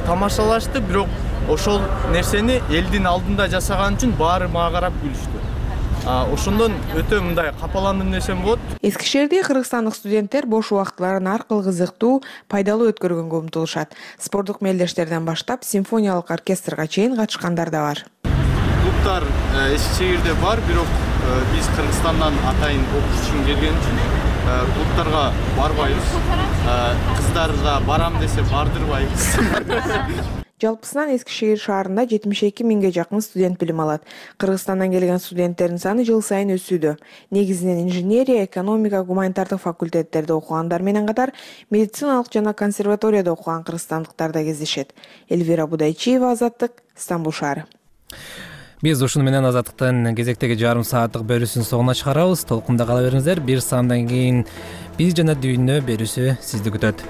тамашалашты, бирок ошол нерсени элдин алдында жасаган үчүн баары мага карап күлүштү. Ошондон өтө мындай капаландым десем болот. Эски шээрде кыргызстандык студенттер бош убактыларын ар кыл кызыктуу, пайдалуу өткөргөнгө умтулушат. Спорттук мелдештерден баштап симфониялык оркестрга чейин катышкандар да бар. Клубдар эски шээрде бар, бирок биз Кыргызстандан атайын окуш үчүн келген үчүн клубдарга барбайбыз. Кыздарга барам десе бардырбайбыз. Жалпысынан Эски шээр шаарында 72 миңге жакын студент билим алат. Кыргызстандан келген студенттердин саны жыл сайын өсүүдө. Негизинен инженерия, экономика, гуманитардык факультеттерде окугандар менен катар медициналык жана консерваторияда окуган кыргызстандыктар да кездешет. Эльвира Будайчиева, Азаттык, Стамбул шаары. Биз ушуну менен Азаттыктын кезектеги жарым сааттык берүүсүнүн соңуна чыгарабыз. Толкунда кала бериңиздер. Бир саамдан кийин биз жана дүйнө берүүсү сизди күтөт.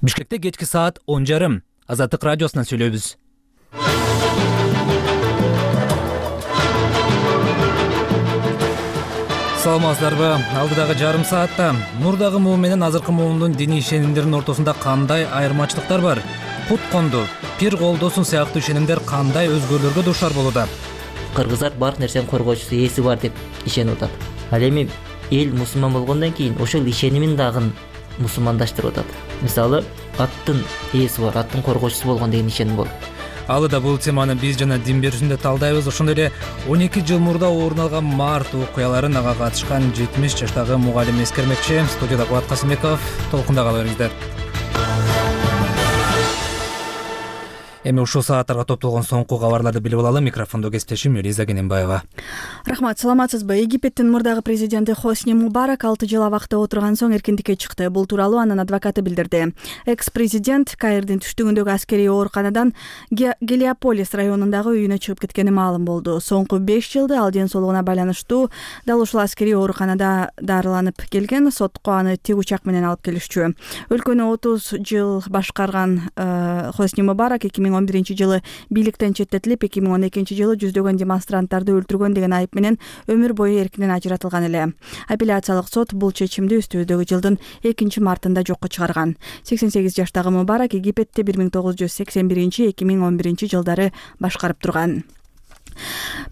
Бишкекте кечки саат 10:30. Азаттык радиосунан сүйлөйбүз. Саламатсыздарбы? Алдыдагы жарым саатта мурдагы муун менен азыркы муундун диний ишенимдеринин ортосунда кандай айырмачылыктар бар? Кут конду, пир колдосун сыяктуу ишенимдер кандай өзгөрүүлөргө дуушар болууда? Кыргыздар бар нерсенин коргоочусу ээси бар деп ишенип атат. Ал эми эл мусулман болгондон кийин ошол ишенимин дагы мусулмандаштырып атат. Мисалы, аттын ээси бар, аттын коргоочусу болгон деген ишеним болот. Алыда бул теманы биз жана дин берүүсүндө талдайбыз. Ошондой эле 12 жыл мурда орун алган март окуяларын ага катышкан 70 жаштагы мугалим эскермекчи. Студияда Кубат Касымбеков. Толкунда кала бериңиздер. Эми ушул сааттарга топтолгон соңку кабарларды билип алалы. Микрофондо кесиптешим Элиза Кененбаева. Рахмат, саламатсызбы? Египеттин мурдагы президенти Хосни Мубарак 6 жыл абакта отурган соң эркиндикке чыкты. Бул тууралуу анын адвокаты билдирди. Экс-президент Каирдин түштүгүндөгү аскерий ооруканадан Гелиополис районундагы үйүнө чыгып кеткени маалым болду. Соңку 5 жылда ал ден соолугуна байланыштуу дал ушул аскерий ооруканада дарыланып келген. Сотко аны тик учак менен алып келишчү. Өлкөнү 30 жыл башкарган Хосни Мубарак 2011-жылы бийликтен четтетилип, 2012-жылы жүздөгөн демонстранттарды өлтүргөн деген айып менен өмүр бою эркинен ажыратылган эле. Апелляциялык сот бул чечимди үстүбүздөгү жылдын 2-мартында жокко чыгарган. 88 жаштагы Мубарак Египетти 1981-2011 жылдары башкарып турган.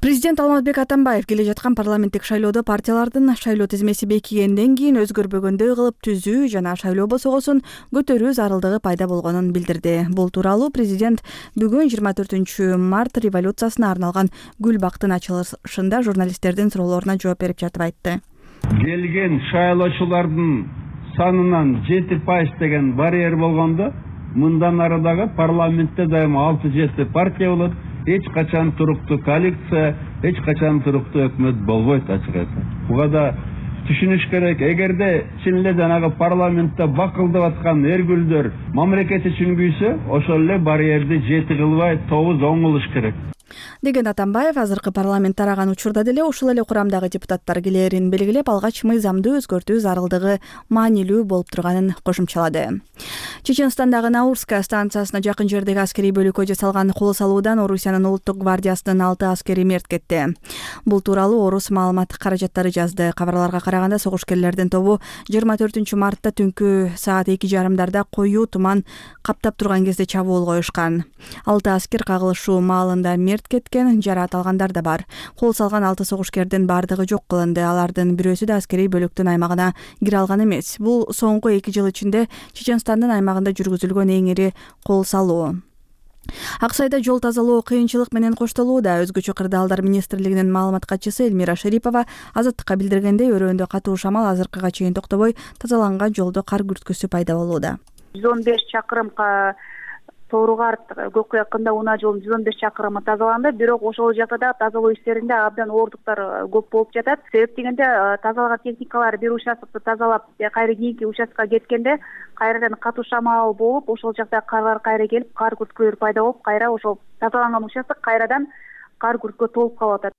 Президент Алмазбек Атамбаев келе жаткан парламенттик шайлоодо партиялардын шайлоо тизмеси бекигенден кийин өзгөрбөгөндөй кылып түзүү жана шайлоо босогосун көтөрүү зарылдыгы пайда болгонун билдирди. Бул тууралуу президент бүгүн 24-март революциясына арналган Гүл бактын ачылышында журналисттердин суроолоруна жооп берип жатып айтты. Келген шайлоочулардын санынан 7% деген барьер болгондо, мындан ары дагы парламентте дайыма 6-7 партия болот. Эч качан туруктуу коалиция, эч качан туруктуу өкмөт болбойт ачыгасы. Буга да түшүнүш керек. Эгерде чын эле жанагы парламентте бакылдап аткан эргүлдөр мамлекет үчүн күйсө, ошол эле барьерди 7 кылбай 9 оңолуш керек. Деген Атамбаев азыркы парламент тараган учурда деле ушул эле курамдагы депутаттар келерин белгилеп, алгач мыйзамды өзгөртүү зарылдыгы маанилүү болуп турганын кошумчалады. Чеченстандагы Наурская станциясына жакын жердеги аскерий бөлүккө жасалган кол салуудан Орусиянын улуттук гвардиясынын 6 аскери мерт кетти. Бул тууралуу Орус маалымат каражаттары жазды. Кабарларга караганда согушкерлердин тобу 24-мартта түнкү саат 2:30 коюу туман каптап турган кезде чабуул коюшкан. 6 аскер кагылышуу маалында мерт кеткен, жараат алгандар да бар. Кол салган 6 согушкердин бардыгы жок кылынды. Алардын бирөөсү да аскерий бөлүктүн аймагына кире алган эмес. Бул соңку 2 жыл ичинде Чеченстандын аймагында жүргүзүлгөн эң ири кол салуу. Аксайда жол тазалоо кыйынчылык менен коштолууда. Өзгөчө кырдаалдар министрлигинин маалымат катчысы Эльмира Шерипова Азаттыкка билдиргендей, өрөөндө катуу шамал азыркыга чейин токтобой, тазаланган жолдо кар күрткүсү пайда болууда. 115 чакырымга Тооругарт Көккө якында унаа жолунун 115 чакырымы тазаланды, бирок ошол жакта да тазалоо иштеринде абдан оордуктар көп болуп жатат. Себеп дегенде тазалаган техникалар бир участкты тазалап, кайра кийинки участкага кеткенде кайрадан катуу шамал болуп, ошол жакта карлар кайра келип, кар күрткөлөр пайда болуп, кайра ошол тазаланган участок кайрадан кар күрткө толуп калып атат.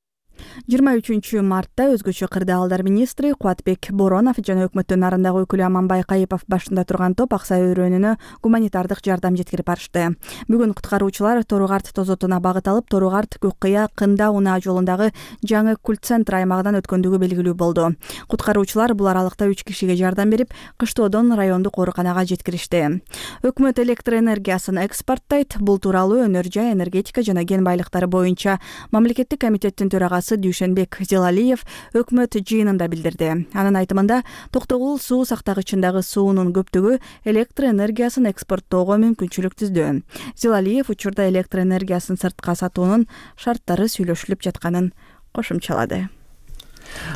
23 мартта өзгөчө кырдаалдар министри Кубатбек Боронов жана өкмөттүн нарындагы өкүлү Аманбай Кайыпов башында турган топ Ак Сай өрөөнүнө гуманитардык жардам жеткирип барышты. Бүгүн куткаруучулар Торугарт тозотуна багыт алып, Торугарт Көккыя Кында унаа жолундагы жаңы культ центр аймагынан өткөндүгү белгилүү болду. Куткаруучулар бул аралыкта 3 кишиге жардам берип, Кыштоодон райондук ооруканага жеткиришти. Өкмөт электр энергиясын экспорттойт. Бул тууралуу Өнөр жай, энергетика жана кен байлыктары боюнча мамлекеттик комитеттин төрагасы Дүйшенбек Зелалиев өкмөт жыйынында билдирди. Анын айтымында, токтогул суу сактагычындагы суунун көптүгү электр энергиясын экспорттоого мүмкүнчүлүк түздү. Зелалиев учурда электр энергиясын сыртка сатуунун шарттары сүйлөшүлүп жатканын кошумчалады.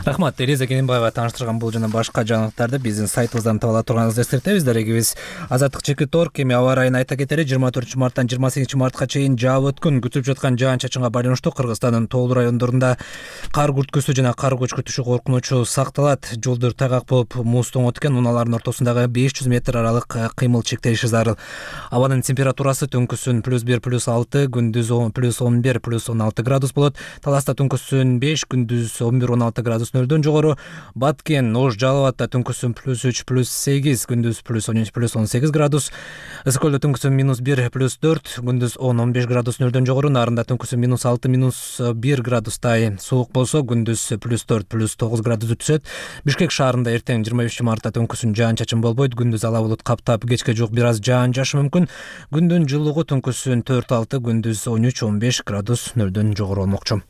Рахмат, Тереза Кененбаева тааныштырган бул жана башка жаңылыктарды биздин сайтыбыздан таба ала турганыңызды эскертебиз. Дарегибиз Азаттык чекит торг эми аба ырайын айта кетели. 24 марттан 28 мартка чейин жаап өткөн күтүп жаткан жаан-чачынга байланыштуу Кыргызстандын тоолуу райондорунда кар күрткүсү жана кар көчкүтүшү коркунучу сакталат. Жолдор тайгак болуп, муз тоңот экен, унаалардын ортосундагы 500 метр аралык кыймыл чектелиши зарыл. Абанын температурасы түнкүсүн +1 +6, күндүз +11 +16 градус болот. Таласта түнкүсүн 5, күндүз 11-16 градус нөлдөн жогору. Баткен, Ош, Жалал Абадта түнкүсүн +3 +8, күндүз +13 +18 градус. Ысык көлдө түнкүсүн -1 +4, күндүз 10-15 градус нөлдөн жогору. Нарында түнкүсүн -6 -1 градустай суук болсо, күндүз +4 +9 градус түшөт. Бишкек шаарында эртең 23 мартта түнкүсүн жаан-чачын болбойт, күндүз ала булут каптап, кечке жук бир аз жаан жаашы мүмкүн. Күндүн жылуулугу түнкүсүн 4-6, күндүз 13-15 градус нөлдөн жогору болмокчу.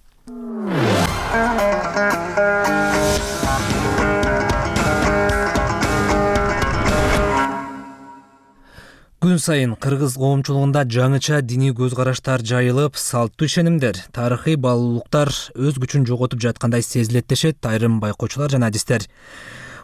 Күн сайын кыргыз коомчулугунда жаңыча диний көз караштар жайылып, салттуу ишенимдер, тарыхый баалуулуктар өз күчүн жоготуп жаткандай сезилет дешет айрым байкоочулар жана адистер.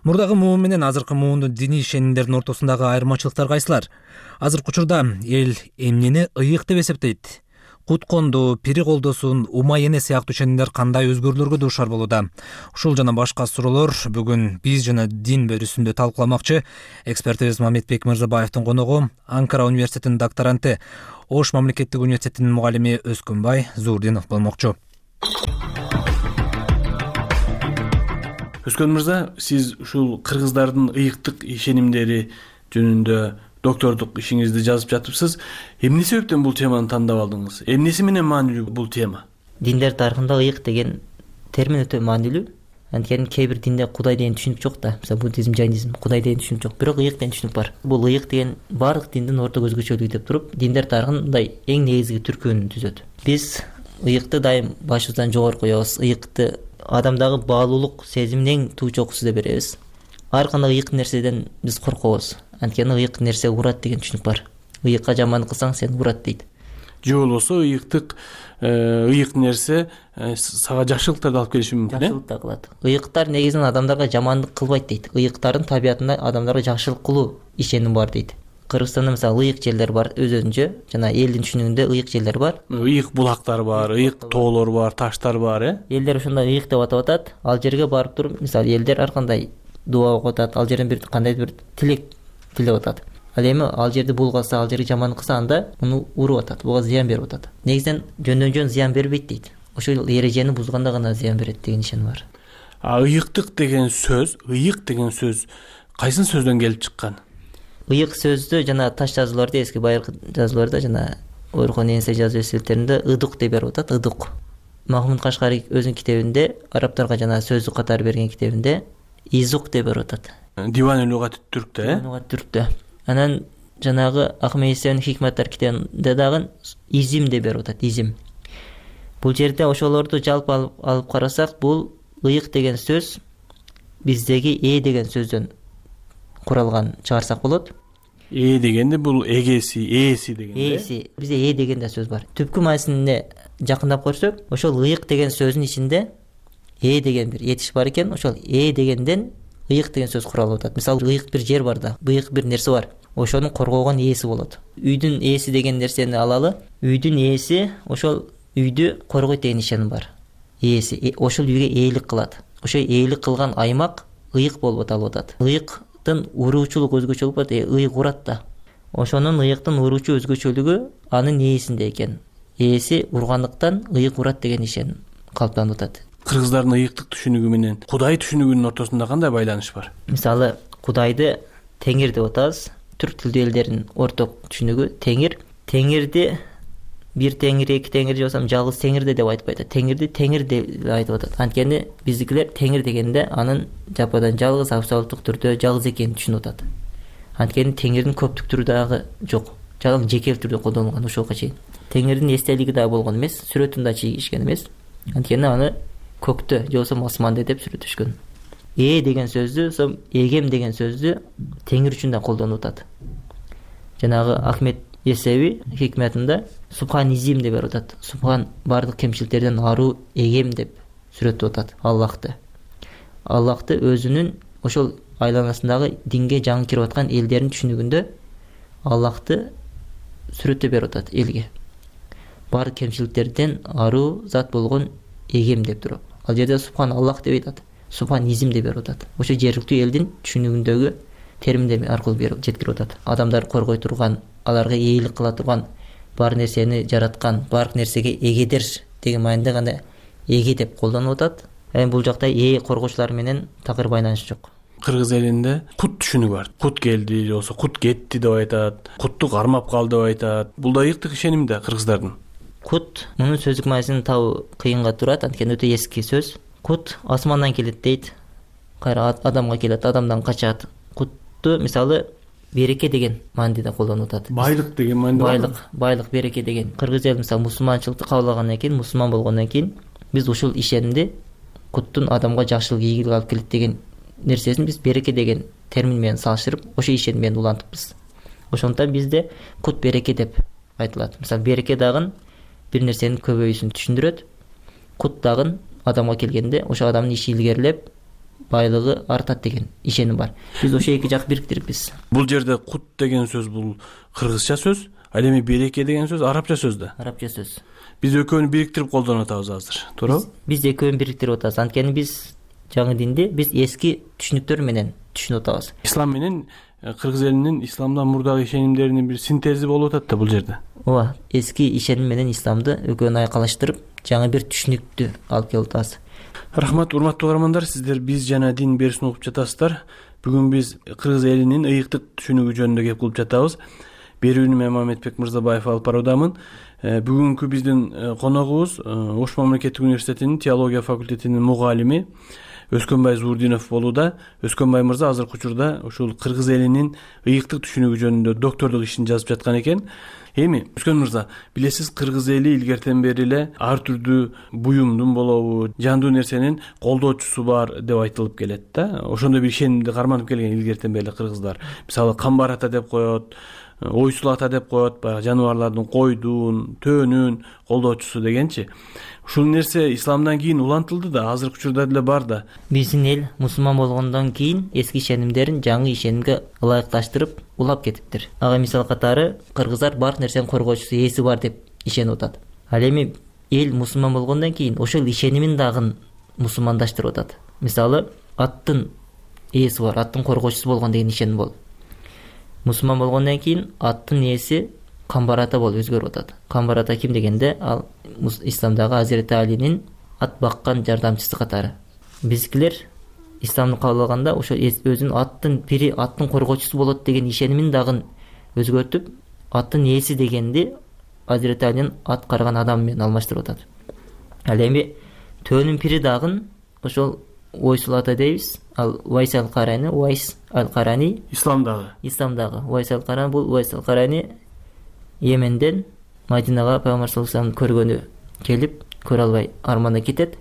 Мурдагы муун менен азыркы муундун диний ишенимдердин ортосундагы айырмачылыктар кайсылар? Азыркы учурда эл эмнени ыйык деп эсептейт? Кутконду, пири колдосун, ума эне сыяктуу ишенимдер кандай өзгөрүүлөргө дуушар болууда? Ушул жана башка суроолор бүгүн биз жана дин бөлүсүндө талкууламакчы. Экспертибиз Мамедбек Мырзабаевдин коногу Анкара университетинин докторанты, Ош мамлекеттик университетинин мугалими Өскөнбай Зурдинов болмокчу. Өскөн мырза, сиз ушул кыргыздардын ыйыктык ишенимдери жөнүндө доктордук ишиңизди жазып жатыпсыз. Эмне себептен бул теманы тандап алдыңыз? Эмнеси менен маанилүү бул тема? Диндер тарыхында ыйык деген термин өтө маанилүү. Анткени кээ бир динде Кудай деген түшүнүк жок да. Мисалы буддизм, жайнизм Кудай деген түшүнүк жок, бирок ыйык деген түшүнүк бар. Бул ыйык деген баардык диндин орток өзгөчөлүгү деп туруп, диндер тарыхындай эң негизги түркөөнү түзөт. Биз ыйыкты дайым башыбыздан жогору коебуз. Ыйыкты адамдагы баалуулук сезиминин туу чокусу деп беребиз. Ар кандай ыйык нерседен биз коркобуз. Анткени ыйык нерсе урат деген түшүнүк бар. Ыйыкка жамандык кылсаң сени урат дейт. Же болбосо ыйык нерсе сага жакшылыктарды алып келиши мүмкүн. Жакшылык да кылат. Ыйыктар негизинен адамдарга жамандык кылбайт дейт. Ыйыктардын табиятында адамдарга жакшылык кылуу ишеним бар дейт. Кыргызстанда мисалы ыйык жерлер бар өзүнчө, жана элдин түшүнүгүндө ыйык жерлер бар. Ыйык булактар бар, ыйык тоолор бар, таштар бар, Элдер ошондой ыйык деп атап атат. Ал жерге барып туруп, мисалы элдер ар кандай дуа окуп атат, ал жерден бир кандайдыр бир тилек тилеп атат. Ал эми ал жерди булгаса, ал жерге жамандык кылса, анда муну уруп атат, буга зыян берип атат. Негизинен жөндөн зыян бербейт дейт. Ошол эрежени бузганда гана зыян берет деген ишеним бар. Ыйык деген сөз кайсын сөздөн келип чыккан? Ыйык сөздү жана таш жазууларда, эски байыркы жазууларда жана Орхон Энсе жазуу эсселтеринде ыдык деп берип атат, ыдык. Махмуд Кашкари өзүнүн китебинде, арабтарга жана сөздүк катары берген китебинде изук деп берип атат. Диван лугат түрктө, Лугат түрктө. Анан жанагы Ахмед Есенин Хикматтар китебинде дагы изим деп берип атат, изим. Бул жерде ошолорду жалпы алып карасак, бул ыйык деген сөз биздеги деген сөздөн куралган чыгарсак болот. Дегенде бул ээси дегенде. Ээси. Бизде деген да сөз бар. Түпкү маанисинде жакындап көрсөк, ошол ыйык деген сөзүнүн ичинде деген бир этиш бар экен. Ошол дегенден ыйык деген сөз куралып атат. Мисалы, ыйык бир жер бар да, ыйык бир нерсе бар. Ошону коргогон ээси болот. Үйдүн ээси деген нерсени алалы. Үйдүн ээси ошол үйдү коргойт деген ишеним бар. Ээси ошол үйгө ээлик кылат. Ошол ээлик кылган аймак ыйык болуп аталып атат. Ыйыктын уруучулук өзгөчөлүк бар, ыйык урат да. Ошонун ыйыктын уруучу өзгөчөлүгү анын ээсинде экен. Ээси ургандыктан ыйык урат деген ишеним калыптанып атат. кыргыздардын ыйыктык түшүнүгү менен Кудай түшүнүгүнүн ортосунда кандай байланыш бар? Мисалы, Кудайды Теңир деп атабыз. Түрк тилдүү элдердин орток түшүнүгү Теңирди бир теңир, эки теңир же болбосо жалгыз теңирде деп айтпайт. Теңирди теңир деп айтып атат. Анткени биздикилер теңир дегенде анын жападан жалгыз абсолюттук түрдө жалгыз экенин түшүнүп атат. Анткени теңирдин көптүк түрү дагы жок. Жалгыз жекел түрдө колдонулган ушуга чейин. Теңирдин эстелиги да болгон эмес, сүрөтүн да чийишкен эмес. Анткени аны көктө же болбосо асманда деп сүрөттөшкөн. Деген сөздү, сом эгем деген сөздү теңир үчүн да колдонуп атат. Жанагы Ахмет Есеви хикметинде Субханизим деп берип атат. Субхан бардык кемчиликтерден аруу эгем деп сүрөттөп атат Аллахты. Аллахты өзүнүн ошол айланасындагы динге жаңы кирип аткан элдердин түшүнүгүндө Аллахты сүрөттөп берип атат элге. Бардык кемчиликтерден аруу зат болгон эгем деп туруп. Ал жерде Субхан Аллах деп айтат. Субханизим деп берип атат. Ошо жергиликтүү элдин түшүнүгүндөгү терминдер аркылуу берип жеткирип атат. Адамдар коргой турган, аларга ээлик кыла турган, бар нерсени жараткан, бар нерсеге эгедир деген маанидә гана эге деп колдонуп атат. Бул жакта коргоочулар менен такыр байланыш жок. Кыргыз элинде кут түшүнүгү бар. Кут келди, же болбосо кут кетти деп айтат. Кутту кармап калды деп айтат. Бул да ыйыктык ишеним да кыргыздардын. Кут мунун сөздүк маанисин табуу кыйынга турат, анткени өтө эски сөз. Кут асмандан келет дейт. Кайра адамга келет, адамдан качат. Кутту мисалы береке деген маанидә колдонуп атат. Байлык деген маанидә. Байлык, береке деген. Кыргыз эл мисалы мусулманчылыкты кабыл алгандан кийин, мусулман болгондон кийин биз ушул ишенимди куттун адамга жакшылык, ийгилик алып келет деген нерсесин биз береке деген термин менен салыштырып, ошо ишеним менен улантыппыз. Ошондуктан бизде кут береке деп айтылат. Мисалы береке дагы бир нерсенин көбөйүүсүн түшүндүрөт. Кут дагы адамга келгенде ошо адамдын иши илгерилеп, байлыгы артат деген ишеним бар. Биз ошо эки жак бириктирипбиз. Бул жерде кут деген сөз бул кыргызча сөз, ал эми береке деген сөз арабча сөз да. Арабча сөз. Биз экөөнү бириктирип колдонуп атабыз азыр, туурабы? Биз экөөнү бириктирип атабыз. Анткени биз жаңы динди биз эски түшүнүктөр менен түшүнүп атабыз. Ислам менен кыргыз элинин исламдан мурдагы ишенимдеринин бир синтези болуп атат да бул жерде. Ооба, эски ишеним менен исламды экөөнү айкалыштырып, жаңы бир түшүнүктү алып келип атабыз. Рахмат, урматтуу угармандар, сиздер биз жана дин берүүсүн угуп жатасыздар. Бүгүн биз кыргыз элинин ыйыктык түшүнүгү жөнүндө кеп кылып жатабыз. Берүүнү мен Мамедбек Мырзабаев алып баруудамын. Бүгүнкү биздин коногубуз Ош мамлекеттик университетинин теология факультетинин мугалими Өскөнбай Зурдинов болууда. Өскөнбай мырза азыркы учурда ушул кыргыз элинин ыйыктык түшүнүгү жөнүндө доктордук ишин жазып жаткан экен. Эми Өскөн мырза, билесиз, кыргыз эли илгертен бери эле ар түрдүү буюмдун болобу, жандуу нерсенин колдоочусу бар деп айтылып келет да. Ошондой бир ишенимди карманып келген илгертен бери кыргыздар. Мисалы, камбар ата деп коет, ойсул ата деп коет, баягы жаныбарлардын, койдун, төөнүн колдоочусу дегенчи. Ушул нерсе исламдан кийин улантылды да, азыркы учурда деле бар да. Биздин эл мусулман болгондон кийин эски ишенимдерин жаңы ишенимге ылайыкташтырып улап кетиптир. Ага мисал катары кыргыздар бар нерсенин коргоочусу, ээси бар деп ишенип атат. Ал эми эл мусулман болгондон кийин ошол ишенимин дагы мусулмандаштырып атат. Мисалы, аттын ээси бар, аттын коргоочусу болгон деген ишеним болот. Мусулман болгондон кийин аттын ээси камбар ата болуп өзгөрүп атат. Камбар ата ким дегенде, ал исламдагы Азирети Алинин ат баккан жардамчысы катары. Биздикилер исламды кабыл алганда ошо өзүнүн аттын бири, аттын коргоочусу болот деген ишенимин дагы өзгөртүп, аттын ээси дегенди Азирети Алинин ат карган адам менен алмаштырып атат. Ал эми төөнүн пири дагы ошол ойсул ата дейбиз. Ал Уайс ал-Карани, Уайс ал-Карани исламдагы Уайс ал-Карани, бул Уайс ал-Карани Йеменден Мадинага пайгамбар саллаллаху алейхи көргөнү келип, көрө албай арманда кетет.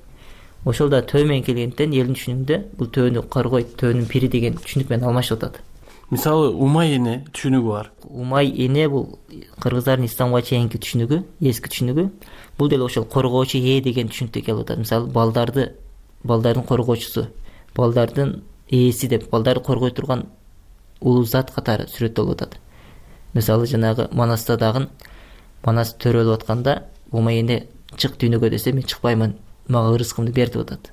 Ошол да төө менен келгенден элдин түшүнүгүндө бул төөнү каргойт, төөнүн пири деген түшүнүк менен алмашып атат. Мисалы, Умай эне түшүнүгү бар. Умай эне бул кыргыздардын исламга чейинки түшүнүгү, эски түшүнүгү. Бул деле ошол коргоочу деген түшүнүктө келип атат. Мисалы, балдардын коргоочусу, балдардын ээси деп, балдарды коргой турган улуу зат катары сүрөттөлүп атат. Мисалы, жанагы Манаста дагы Манас төрөлүп атканда Умай эне чык дүйнөгө десе, мен чыкпаймын, мага ырыскымды бер деп атат.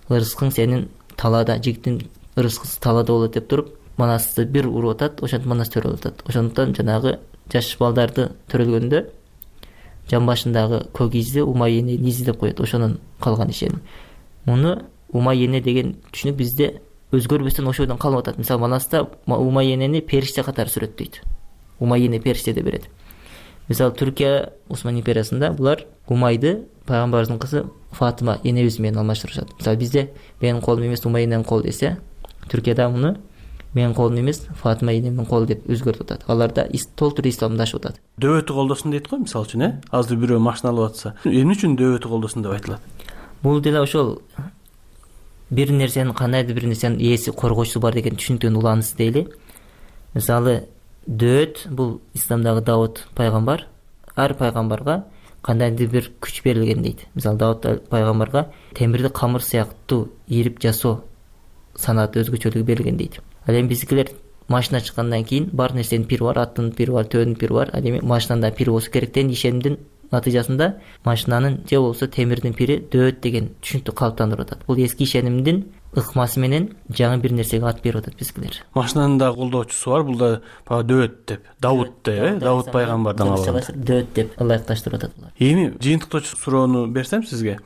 Ырыскың сенин талаада, жигиттин ырыскысы талаада болот деп туруп, Манасты бир уруп атат, ошентип Манас төрөлүп атат. Ошондуктан жанагы жаш балдарды төрөлгөндө жан башындагы көк изди Умай эне изи деп коет. Ошонун калган ишеним. муну умай эне деген түшүнүк бизде өзгөрбөстөн ошодон калып атат. Мисалы Манаста умай энени периште катары сүрөттөйт. Умай эне периште деп берет. Мисалы Түркия Осман империясында булар Умайды пайгамбарыбыздын кызы Фатыма энебиз менен алмаштырышат. Мисалы бизде менин колум эмес Умай эненин колу десе, Түркияда муну менин колум эмес Фатыма энемдин колу деп өзгөртүп атат. Аларда толтур исламдашып атат. Дөбөтү колдосун дейт го, мисалы үчүн, азыр бирөө машина алып атса, эмне үчүн дөбөтү колдосун деп айтылат? Бул деле ошол бир нерсенин кандайдыр бир нерсенин ээси коргоочусу бар деген түшүнүктөн уланысы дейли. Мисалы дөөт бул исламдагы Давуд пайгамбар, ар пайгамбарга кандайдыр бир күч берилген дейт. Мисалы Давуд пайгамбарга темирди камыр сыяктуу ийрип жасоо санааты өзгөчөлүгү берилген дейт. Ал эми биздикилер машина чыккандан кийин бар нерсенин пири бар, аттын пири бар, төөнүн пири бар. Ал эми машинанын да пири болсо керек деген ишенимдин натыйжасында машинанын же болбосо темирдин пири дөөт деген түшүнүктү калыптандырып атат. Бул эски ишенимдин ыкмасы менен жаңы бир нерсеге ат берип атат биздикилер. Машинанын да колдоочусу бар, бул да дөөт деп, Давуд деп, Давуд пайгамбардан алган. Дөөт деп ылайыкташтырып атат булар. Эми жыйынтыктоочу суроону берсем сизге.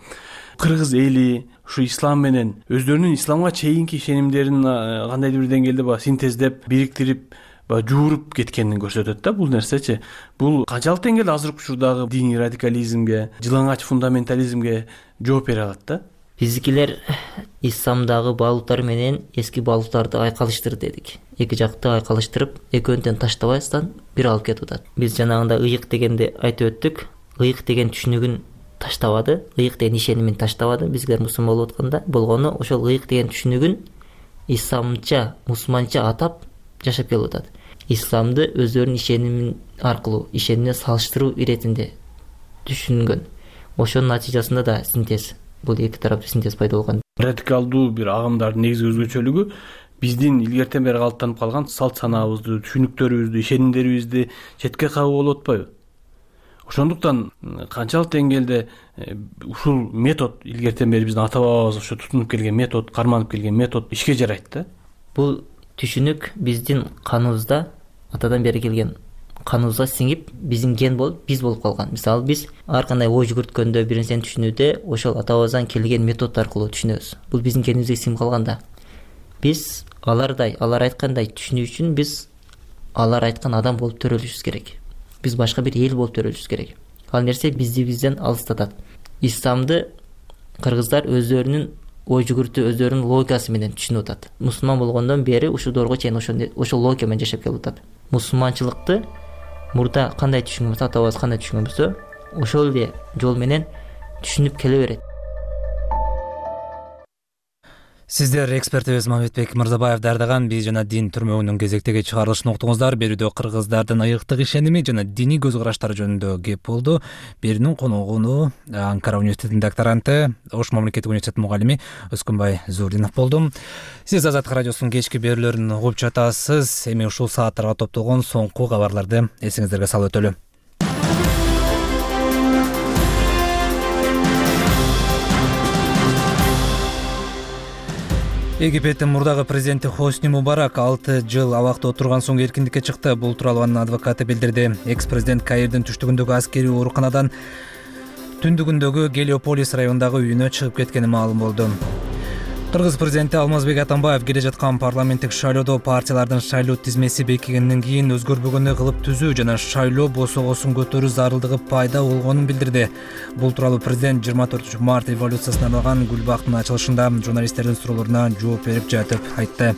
Кыргыз эли ушу ислам менен өздөрүнүн исламга чейинки ишенимдерин кандайдыр бир деңгээлде синтездеп, бириктирип, жууруп кеткенин көрсөтөт да бул нерсечи. Бул канчалык деңгээлде азыркы учурдагы диний радикализмге, жылаңач фундаментализмге жооп бере алат да? Биздикилер исламдагы баалуулуктар менен эски баалуулуктарды айкалыштыр дедик. Эки жакты айкалыштырып, экөөнү тең таштабастан бир алып кетип атат. Биз жанагында ыйык дегенди айтып өттүк. Ыйык деген түшүнүгүн таштабады, ыйык деген ишенимин таштабады. Биздер мусулман болуп атканда болгону ошол ыйык деген түшүнүгүн исламча, мусулманча атап жашап келип атат. Исламды өздөрүнүн ишенимин аркылуу, ишенимине салыштыруу иретинде түшүнгөн. Ошонун натыйжасында да синтез, бул эки тараптуу синтез пайда болгон. Радикалдуу бир агымдардын негизги өзгөчөлүгү биздин илгертен бери калыптанып калган салт санаабызды, түшүнүктөрүбүздү, ишенимдерибизди четке кагуу болуп атпайбы? Ошондуктан канчалык деңгээлде ушул метод илгертен бери биздин ата бабабыз ошо тутунуп келген метод, карманып келген метод ишке жарайт да? Бул түшүнүк биздин каныбызда, атадан бери келген каныбызга сиңип, биздин ген болуп, биз болуп калган. Мисалы биз ар кандай ой жүгүрткөндө, бир нерсени түшүнүүдө ошол атабыздан келген метод аркылуу түшүнөбүз. Бул биздин генибизге сиңип калган да. Биз алардай, алар айткандай түшүнүү үчүн биз алар айткан адам болуп төрөлүшүбүз керек. Биз башка бир эл болуп төрөлүшүбүз керек. Ал нерсе бизди бизден алыстатат. Исламды кыргыздар өздөрүнүн ой жүгүртүү, өздөрүнүн логикасы менен түшүнүп атат. Мусулман болгондон бери ушул доорго чейин ошол логика менен жашап келип атат. Мусулманчылыкты мурда кандай түшүнгөн болсо, атабыз кандай түшүнгөн болсо, ошол эле жол менен түшүнүп келе берет. Сиздер экспертибиз Мамедбек Мырзабаев даярдаган «Биз жана дин» түрмөгүнүн кезектеги чыгарылышын уктуңуздар. Берүүдө кыргыздардын ыйыктык ишеними жана диний көз караштары жөнүндө кеп болду. Берүүнүн коногу Анкара университетинин докторанты, Ош мамлекеттик университетинин мугалими Өскөнбай Зурдинов болду. Сиз Азаттык радиосунун кечки берүүлөрүн угуп жатасыз. Эми ушул сааттарга топтолгон соңку кабарларды эсиңиздерге салып өтөлү. Египеттин мурдагы президенти Хосни Мубарак 6 жыл абакта отурган соң эркиндикке чыкты. Бул тууралуу анын адвокаты билдирди. Экс-президент Каирдин түштүгүндөгү аскерий ооруканадан түндүгүндөгү Гелиополис районундагы үйүнө чыгып кеткени маалым болду. Кыргыз президенти Алмазбек Атамбаев келе жаткан парламенттик шайлоодо партиялардын шайлоо тизмеси бекигенден кийин өзгөрбөгөндөй кылып түзүү жана шайлоо босогосун көтөрүү зарылдыгы пайда болгонун билдирди. Бул тууралуу президент 24 март революциясына арналган Гүлбактын ачылышында журналисттердин суроолоруна жооп берип жатып айтты.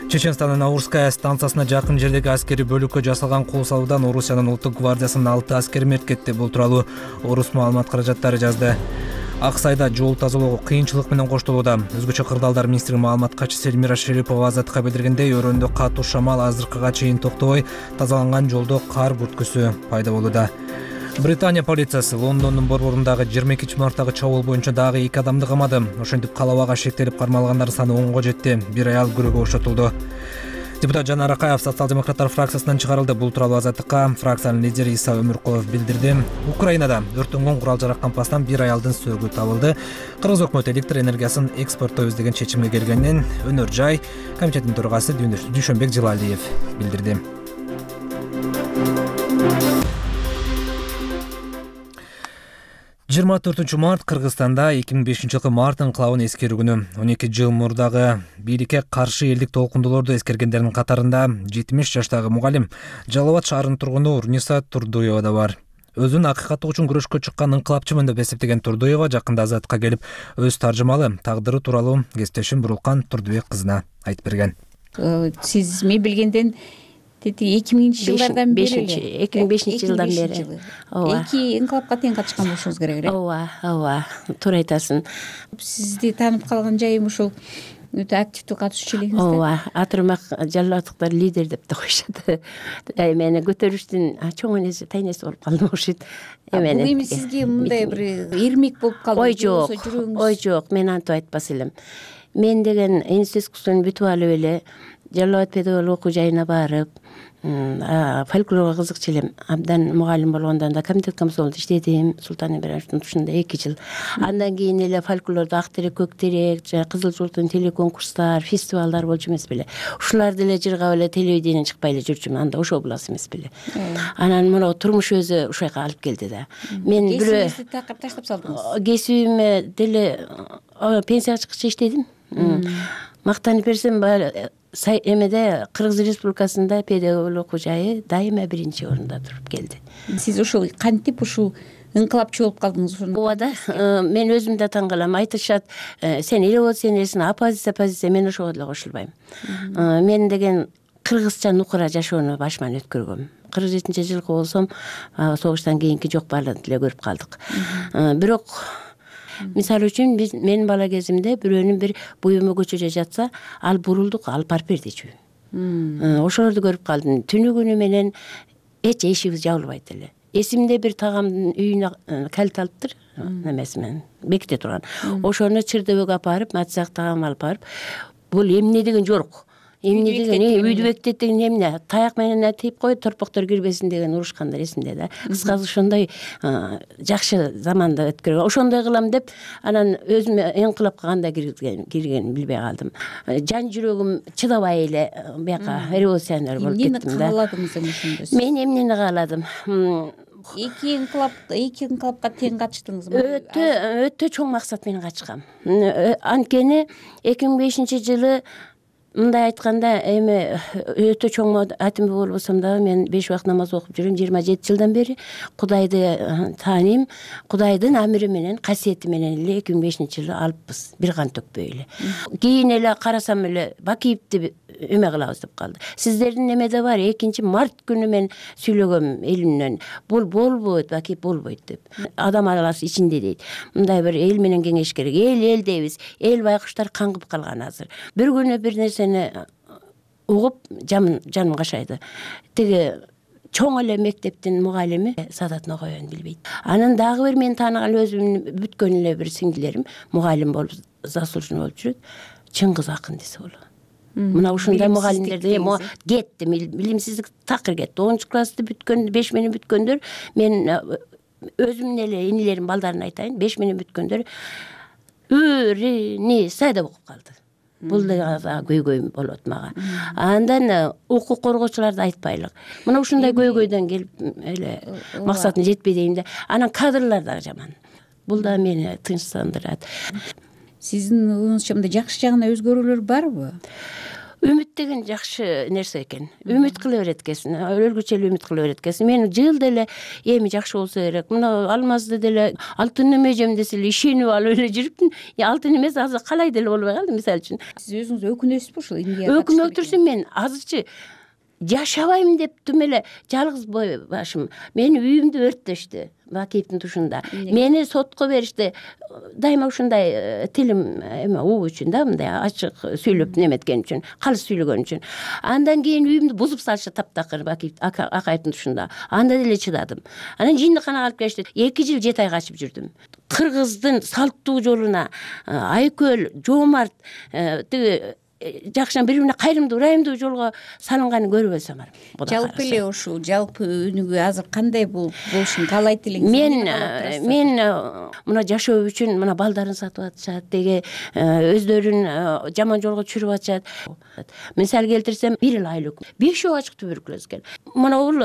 Чеченстандын Аурская станциясына жакын жердеги аскерий бөлүккө жасалган кол салуудан Орусиянын улуттук гвардиясынын 6 аскери мерт кетти. Бул тууралуу Орус маалымат каражаттары жазды. Аксайда жол тазалоо кыйынчылык менен коштолууда. Өзгөчө кырдаалдар министри маалымат катчысы Эльмира Шерипова Азаттыкка билдиргендей, өрөөндө катуу шамал азыркыга чейин токтобой, тазаланган жолдо кар бүрткүсү пайда болууда. Британия полициясы Лондондун борборундагы 22-марттагы чабуул боюнча дагы 2 адамды камады. Ошентип калабага шектелип кармалгандар саны 10го жетти. Бир аял күрөөгө бошотулду. Депутат Жанар Акаев социал-демократтар фракциясынан чыгарылды. Бул тууралуу Азаттыкка фракциянын лидери Иса Өмүркулов билдирди. Украинада өрттөнгөн курал-жарак кампастан бир аялдын сөөгү табылды. Кыргыз өкмөтү электр энергиясын экспорттойбуз деген чечимге келгенин Өнөр жай комитетинин төрагасы Дүйшөнбек Жылалиев билдирди. 24 март Кыргызстанда 2005-жылкы март ыңкылабын эскерүү күнү. 12 жыл мурдагы бийликке каршы элдик толкундуулорду эскергендердин катарында 70 жаштагы мугалим, Жалал Абад шаарынын тургуну Урниса Турдуева да бар. Өзүн акыйкаттык үчүн күрөшкө чыккан ыңкылапчымын деп эсептеген Турдуева жакында Азаттыкка келип, өз таржымалы тагдыры тууралуу кесиптешим Бурулкан Турдубек кызына айтып берген. Сиз мен билгенден 2000-жылдардан бери 2005-жылдан бери. Эки ыңкылапка тең катышкан болушуңуз керек эле. Ооба, туура айтасың. Сизди таанып калган жайым ушул өтө активдүү катышчу элеңиз да. Ооба, атырмак жалалаттыктар лидер деп да коюшат. Мени көтөрүштүн чоң энеси, тайнеси болуп калдым окшойт. Бул эми сизге мындай бир ирмек болуп калды. Ой жок, мен антип айтпас элем. Мен деген институт окуусун бүтүп алып эле Жалал Абад педагогиялык окуу жайына барып, фольклорго кызыкчу элем. Абдан мугалим болгондон да комитет комсомолдо иштедим. Султан Ибраимовдун тушунда 2 жыл. Андан кийин эле фольклордо ак терек, көк терек, кызыл жолтун телеконкурстар, фестивалдар болчу эмес беле. Ушуларды эле жыргап эле телевидениеден чыкпай эле жүрчүмүн. Анда ошол буласы эмес беле. Анан мына турмуш өзү ушайга алып келди да. Мен кесибиңизди такыр таштап салдыңыз. Кесибиме деле пенсияга чыккыча иштедим. Мактанып берсем, эмеде Кыргыз Республикасында педагогиялык окуу жайы дайыма 1-чи орунда туруп келди. Сиз ушул кантип ушул ыңкылапчы болуп калдыңыз? Ооба да, мен өзүм да таң калам. Айтышат, сен революционерсиң, оппозиция, мен ошого деле кошулбайм. Мен деген кыргызча нукура жашоону башыман өткөргөм. 47-жылкы болсом, согуштан кийинки жок баарын деле көрүп калдык. Бирок мисалы үчүн менин бала кезимде бирөөнүн бир буюму көчөдө жатса, ал бурулдук, алып барып бердичү. Ошолорду көрүп калдым. Түнүгүнү менен эч эшигибиз жабылбайт эле. Эсимде бир тагамдын үйүнө калит алыптыр, немесимен беките турган. Ошону чырдөбөгө апарып, матсак тагам алып барып, бул эмне деген жорук. Эмне деген, үйдү бекитет деген эмне? Таяк менен тип кой, торпоктор кирбесин деген урушкандар эсимде да. Кыскасы ошондой жакшы заманда өткөргөн. Ошондой кылам деп, анан өзүм ыңкылапка кандай киргенин билбей калдым. Жан жүрөгүм чыдабай эле бияка революционер болуп кеттим да. Эмнени кааладыңыз ошондо? Мен эмнени кааладым? Эки ыңкылапка тең катыштыңыз. Өтө чоң максат менен катышкам. Анткени 2005-жылы мындай айтканда, эми өтө чоң атым болбосом дагы мен 5 убакыт намаз окуп жүрөм 27 жылдан бери. Кудайды тааныйм. Кудайдын амири менен, касиети менен эле 2005-жылы алыппыз, бир кан төкпөй эле. Кийин эле карасам эле Бакиевди эме кылабыз деп калды. Сиздердин эмеде бар, 2 март күнү мен сүйлөгөм элимден. Бул болбойт, Бакиев болбойт деп. Адам аласы ичинде дейт. Мындай бир эл менен кеңеш керек. Эл дейбиз. Эл байкуштар каңгып калган азыр. Bir күнү бир нерсени угуп жаным кашайды. Тиги чоң эле мектептин мугалими Садат Ноғоевни билбейт. Анан дагы бир мен тааныган өзүмдүн бүткөн эле бир сиңдилерим мугалим болуп заслуженный болуп жүрөт. Чыңгыз Акын десе болот. Мына ушундай мугалимдерди кетти, билимсиздик такыр кетти. 10-классты бүткөн, 5 менен бүткөндөр, мен өзүмдүн эле инилерим балдарын айтайын, 5 менен бүткөндөр үрүни сайда окуп калды. Бул да көйгөй болот мага. Андан укук коргоочуларды айтпайлык. Мына ушундай көйгөйдөн келип эле максатына жетпей дейм да. Анан кадрлар да жаман. Бул да мени тынчсандырат. Сиздин оюңузча мындай жакшы жагына өзгөрүүлөр барбы? Үмүт деген жакшы нерсе экен. Үмүт кыла берет экенсиң, өлгүчө эле үмүт кыла берет экенсиң. Мен жыл деле эми жакшы болсо керек. Мына алмазды деле алтын эмежем десе эле ишенип алып эле жүрүптүм. Алтын эмес азыр калай деле болбой калды мисалы үчүн. Сиз өзүңүз өкүнөсүзбү ушул эмгеге? Өкүнүп турсун, мен азырчы жашабайм деп түм эле жалгыз башым. Мени үйүмдү өрттөштү. Бакиевдин тушунда. Мени сотко беришти. Дайыма ушундай тилим эме уу үчүн да, мындай ачык сүйлөп неметкен үчүн, калыс сүйлөгөн үчүн. Андан кийин үйүмдү бузуп салышты таптакыр Бакиев акайдын тушунда. Анда деле чыдадым. Анан жиндиканага алып келишти. 2 жыл 7 ай качып жүрдүм. Кыргыздын салттуу жолуна Айкөл, Жоомарт тиги жакшынан бири-бирине кайрымдуу, ырайымдуу жолго салынганын көрүп элсем бар. Жалпы эле ушул жалпы өнүгүү азыр кандай болушун каалайт элеңиз? Мен мына жашоо үчүн мына балдарын сатып атышат, деги өздөрүн жаман жолго түшүрүп атышат. Мисал келтирсем, 1 айлык 5 ачык туберкулез экен. Мына бул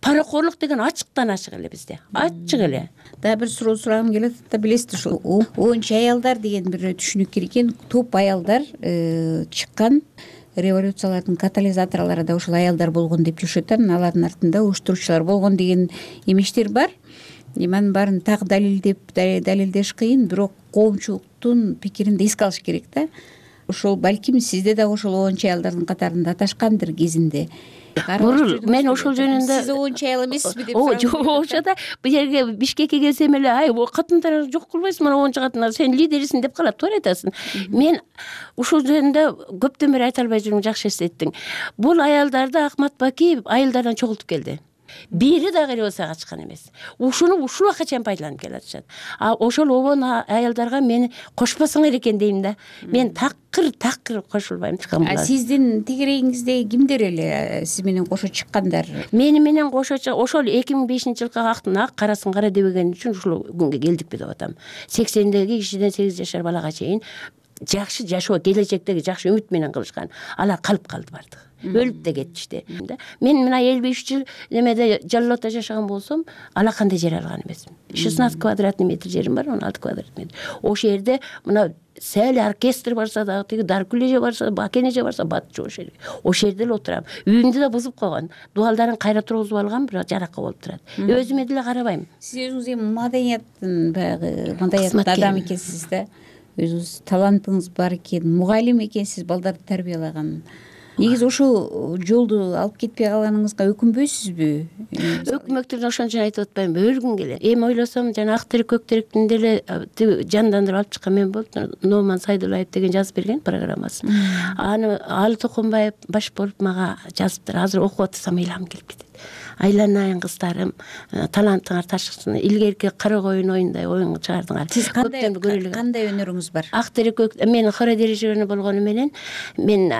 пара паракорлук деген ачыктан ачык эле бизде, ачык эле. Дагы бир суроо сурагым келет да, билесиз ушул оончу аялдар деген бир түшүнүк керек экен. Топ аялдар чыккан революциялардын катализаторлору да ушул аялдар болгон деп жүрүшөт. Алардын артында уюштуруучулар болгон деген эмештер бар. Анын баарын так далилдеш кыйын, бирок коомчулуктун пикирин да эске алыш керек да. Ошол балким сизде дагы ошол оончу аялдардын катарында аташкандыр кезинде. Мен ошол жөнүндө сиз оончу аял эмессизби деп ошода бу жерге Бишкекке келсем эле катындар жок кылбайсың, мына оончу катындар сен лидерисиң деп калат, туура айтасың. Мен ушул жөнүндө көптөн бери айта албай жүрүм, жакшы эстеттиң. Бул аялдарды Акмат Бакиев айылдардан чогултуп келди. Бири дагы революцияга катышкан эмес. Ушуну ушул убакка чейин пайдаланып келатышат. Ошол обон аялдарга мени кошпосоңор экен дейм да. Мен такыр кошулбайм. Сиздин тегерегиңизде кимдер эле сиз менен кошо чыккандар? Мени менен кошо ошол 2005-жылкы актын ак карасын кара дебеген үчүн ушул күнгө келдикпи деп атам. 80-деги кишиден 8 жашар балага чейин жакшы жашоо, келечектеги жакшы үмүт менен кылышкан. Алар калып калды бардыгы. Өлүп да кетишти. Мен мына 53 жыл немеде Жаллоодо жашаган болсом, алакандай жер алган эмесмин. 16 квадратный метр жерим бар, 16 квадратный метр. Ошол жерде мына сәл оркестр барса дагы, тиги Даркулеже барса, Бакенеже барса, батчу ошол жерге. Ошол жерде эле отурам. Үйүмдү да бузуп койгон. Дубалдарын кайра тургузуп алган, бирок жаракка болуп турат. Өзүмө деле карабайм. Сиз өзүңүз эми маданияттын баягы маданияттын адамы экенсиз да. Өзүңүз талантыңыз бар экен, мугалим экенсиз, балдарды тарбиялаган. Негизи ошол жолду алып кетпей калганыңызга өкүнбөйсүзбү? Өкмөктүн ошон үчүн айтып атпайм, өлгүм келет. Эми ойлосом, жана Ак терек, көк теректин деле жандандырып алып чыккан мен болуп, Номан Сайдуллаев деген жазып берген программасын. Аны Алы Токонбаев баш болуп мага жазыптыр. Азыр окуп атсам ыйлам келип кетет. Айланайын кыздарым, талантыңар ташысын. Илгерки кара коюн оюндай оюн чыгардыңар. Сиз кандай өнөрүңүз бар? Ак терек, мен хора дирижеры болгону менен мен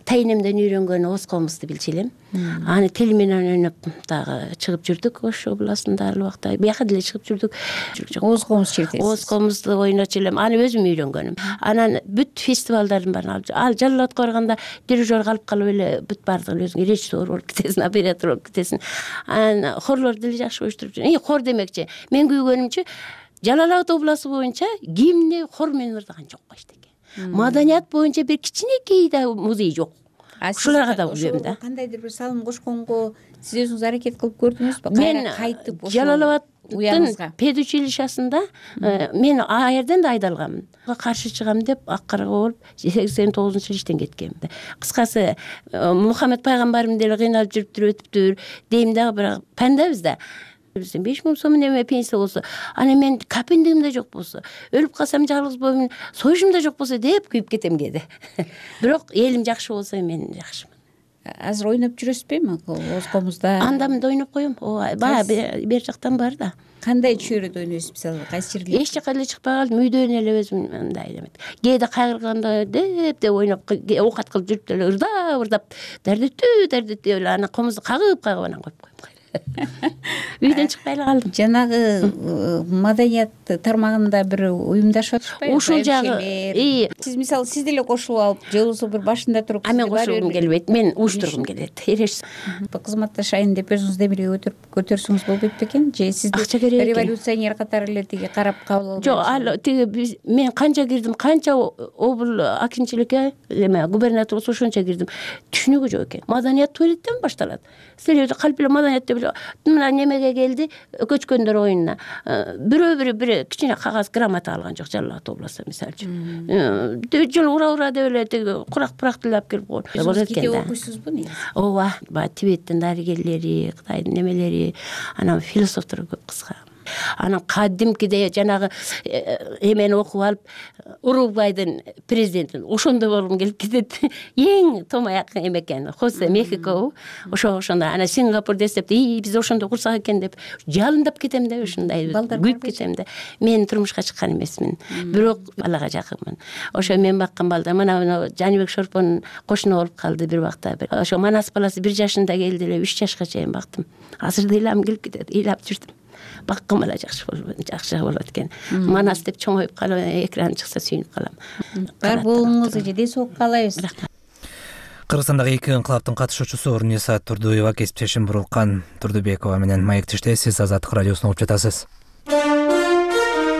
тайнемден үйрөнгөн Оз комузду билчү элем. Аны тил менен ойноп дагы чыгып жүрдүк Ош областында ал убакта. Бияка деле чыгып жүрдүк. Оз комуз чертесиз. Оз комузду ойночу элем. Аны өзүм үйрөнгөнүм. Анан бүт фестивалдардын баарын ал Жаллоодко барганда дирижер калып эле бүт баардыгын өзүң режиссер болуп кетесиң, оператор болуп кетесиң. Анан хорлор деле жакшы уюштуруп жүрөм. Хор демекчи, мен күйгөнүмчү Жалал Абад областы боюнча гимни хор менен ырдаган жок эчтеке. Маданият боюнча бир кичинекей да музей жок. Ушуларга да билем да. Кандайдыр бир салым кошконго сиз өзүңүз аракет кылып көрдүңүзбү? Мен Жалал Абадтын педучилищасында мен аерден да айдалганмын. Каршы чыгам деп аккарга болуп 89-жыл иштен кеткем. Кыскасы Мухаммед пайгамбарым деле кыйналып жүрүптүр, өтүптүр дейм дагы, бирок пандабыз да. 5000 сом неме пенсия болсо, ана мен капиндигим да жок болсо, өлүп калсам жалгыз боюмун, сойушум да жок болсо деп күйүп кетем кээде. Бирок элим жакшы болсо мен жакшымын. Азыр ойноп жүрөсүзбү эми Оз комузда? Андамында ойноп коем. Баа бер жактан бар да. Кандай чөйрөдө ойнойсуз мисалы? Кайсы жерде? Эч жака эле чыкпай калдым, үйдөн эле өзүм мындай элемет. Кээде кайгырганда деп ойноп, оокат кылып жүрүп деле ырдап, дардеттүү эле ана комузду кагып анан коюп коем. Үйдөн чыкпай эле калдым. Жанагы маданият тармагында бир уюмдашып атышпайбы? Ушул жагы. Сиз мисалы сиз деле кошулуп алып, же болбосо бир башында туруп, мен кошулгум келбейт, мен уюштургум келет. Эреш. Кызматташайын деп өзүңүз демилге көтөрсөңүз болбойт бекен? Же сизди революционер катары эле тиги карап кабыл албайбы? Жок, ал тиги мен канча кирдим, канча обл акинчиликке, эме губернатор ошончо кирдим. Түшүнүгү жок экен. Маданият туалеттен башталат. Силер калп эле маданият мына немеге келди, көчкөндөр оюнуна. Бирөө кичине кагаз грамота алган жок Жалал Абад областында мисалы үчүн. Жол ура деп эле тиги курак деле алып келип койгон. Сиз кете окуйсузбу негизи? Ооба, Тибеттин дарыгерлери, Кытайдын немелери, анан философтор көп кыска. Анан кадимкиде жанагы эмени окуп алып, Уругвайдын президентин ошондой болгум келип кетет. Эң томаяк эме экен, Хосе Мехико, ошондой. Ана Сингапур десеп, биз ошондой курсак экен деп жалындап кетем да, ошондой күйүп кетем да. Мен турмушка чыккан эмесмин, бирок балага жакынмын. Ошо мен баккан балдар, мына Жаныбек Шорпонун кошуну болуп калды бир убакта. Ошо Манас баласы 1 жашында келди эле, 3 жашка чейин бактым. Азыр да ыйлам келип кетет, ыйлап жүрдүм. Баккым эле жакшы болот экен. Манас деп чоңоюп калып, экран чыкса сүйүнүп калам. Бар болуңузду жеде соок каалайбыз. Кыргызстандагы эки инкылаптын катышуучусу Урниса Турдуева кесиптешим Бурулкан Турдубекова менен маектеште сиз Азаттык радиосун угуп жатасыз.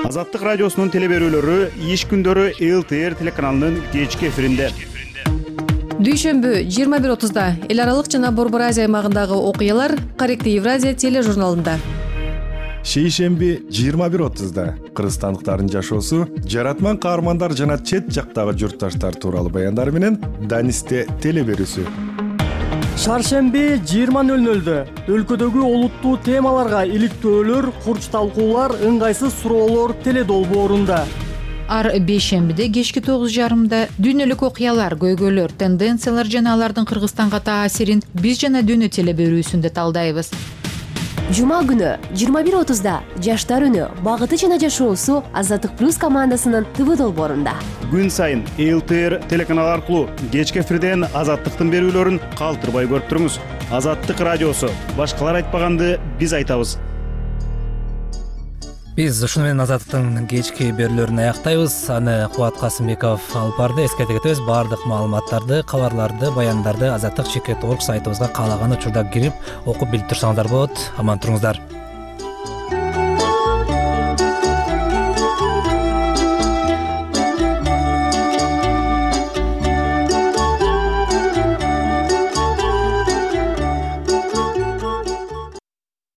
Азаттык радиосунун теле берүүлөрү иш күндөрү ЛТР телеканалынын кечки эфиринде. Дүйшөмбү 21:30-да эл аралык жана Борбор Азия аймагындагы окуялар Корректив Евразия тележурналында. Шейшемби 21:30-да кыргызстандыктардын жашоосу, жаратман каармандар жана чет жактагы журтташтар тууралуу баяндар менен Данисте теле берүүсү. Шаршемби 20:00-дө өлкөдөгү олуттуу темаларга иликтөөлөр, курч талкуулар, ыңгайсыз суроолор теле долбоорунда. Ар бейшембиде кечки 9:30-да дүйнөлүк окуялар, көйгөйлөр, тенденциялар жана алардын Кыргызстанга таасирин биз жана дүйнө теле берүүсүндө талдайбыз. Жума күнү 21:30-да жаштар үнү, багыты жана жашоосу Азаттык плюс командасынын ТВ долбоорунда. Күн сайын ЛТР телеканалы аркылуу кечки эфирден Азаттыктын берүүлөрүн калтырбай көрүп туруңуз. Азаттык радиосу. Башкалар айтпаганды биз айтабыз. Биз ушуну менен Азаттыктын кечки берүүлөрүн аяктайбыз. Аны Кубат Касымбеков алып барды. Эскерте кетебиз, баардык маалыматтарды, кабарларды, баяндарды Азаттык.org сайтыбызга каалаган учурда кирип окуп билип турсаңыздар болот. Аман туруңуздар.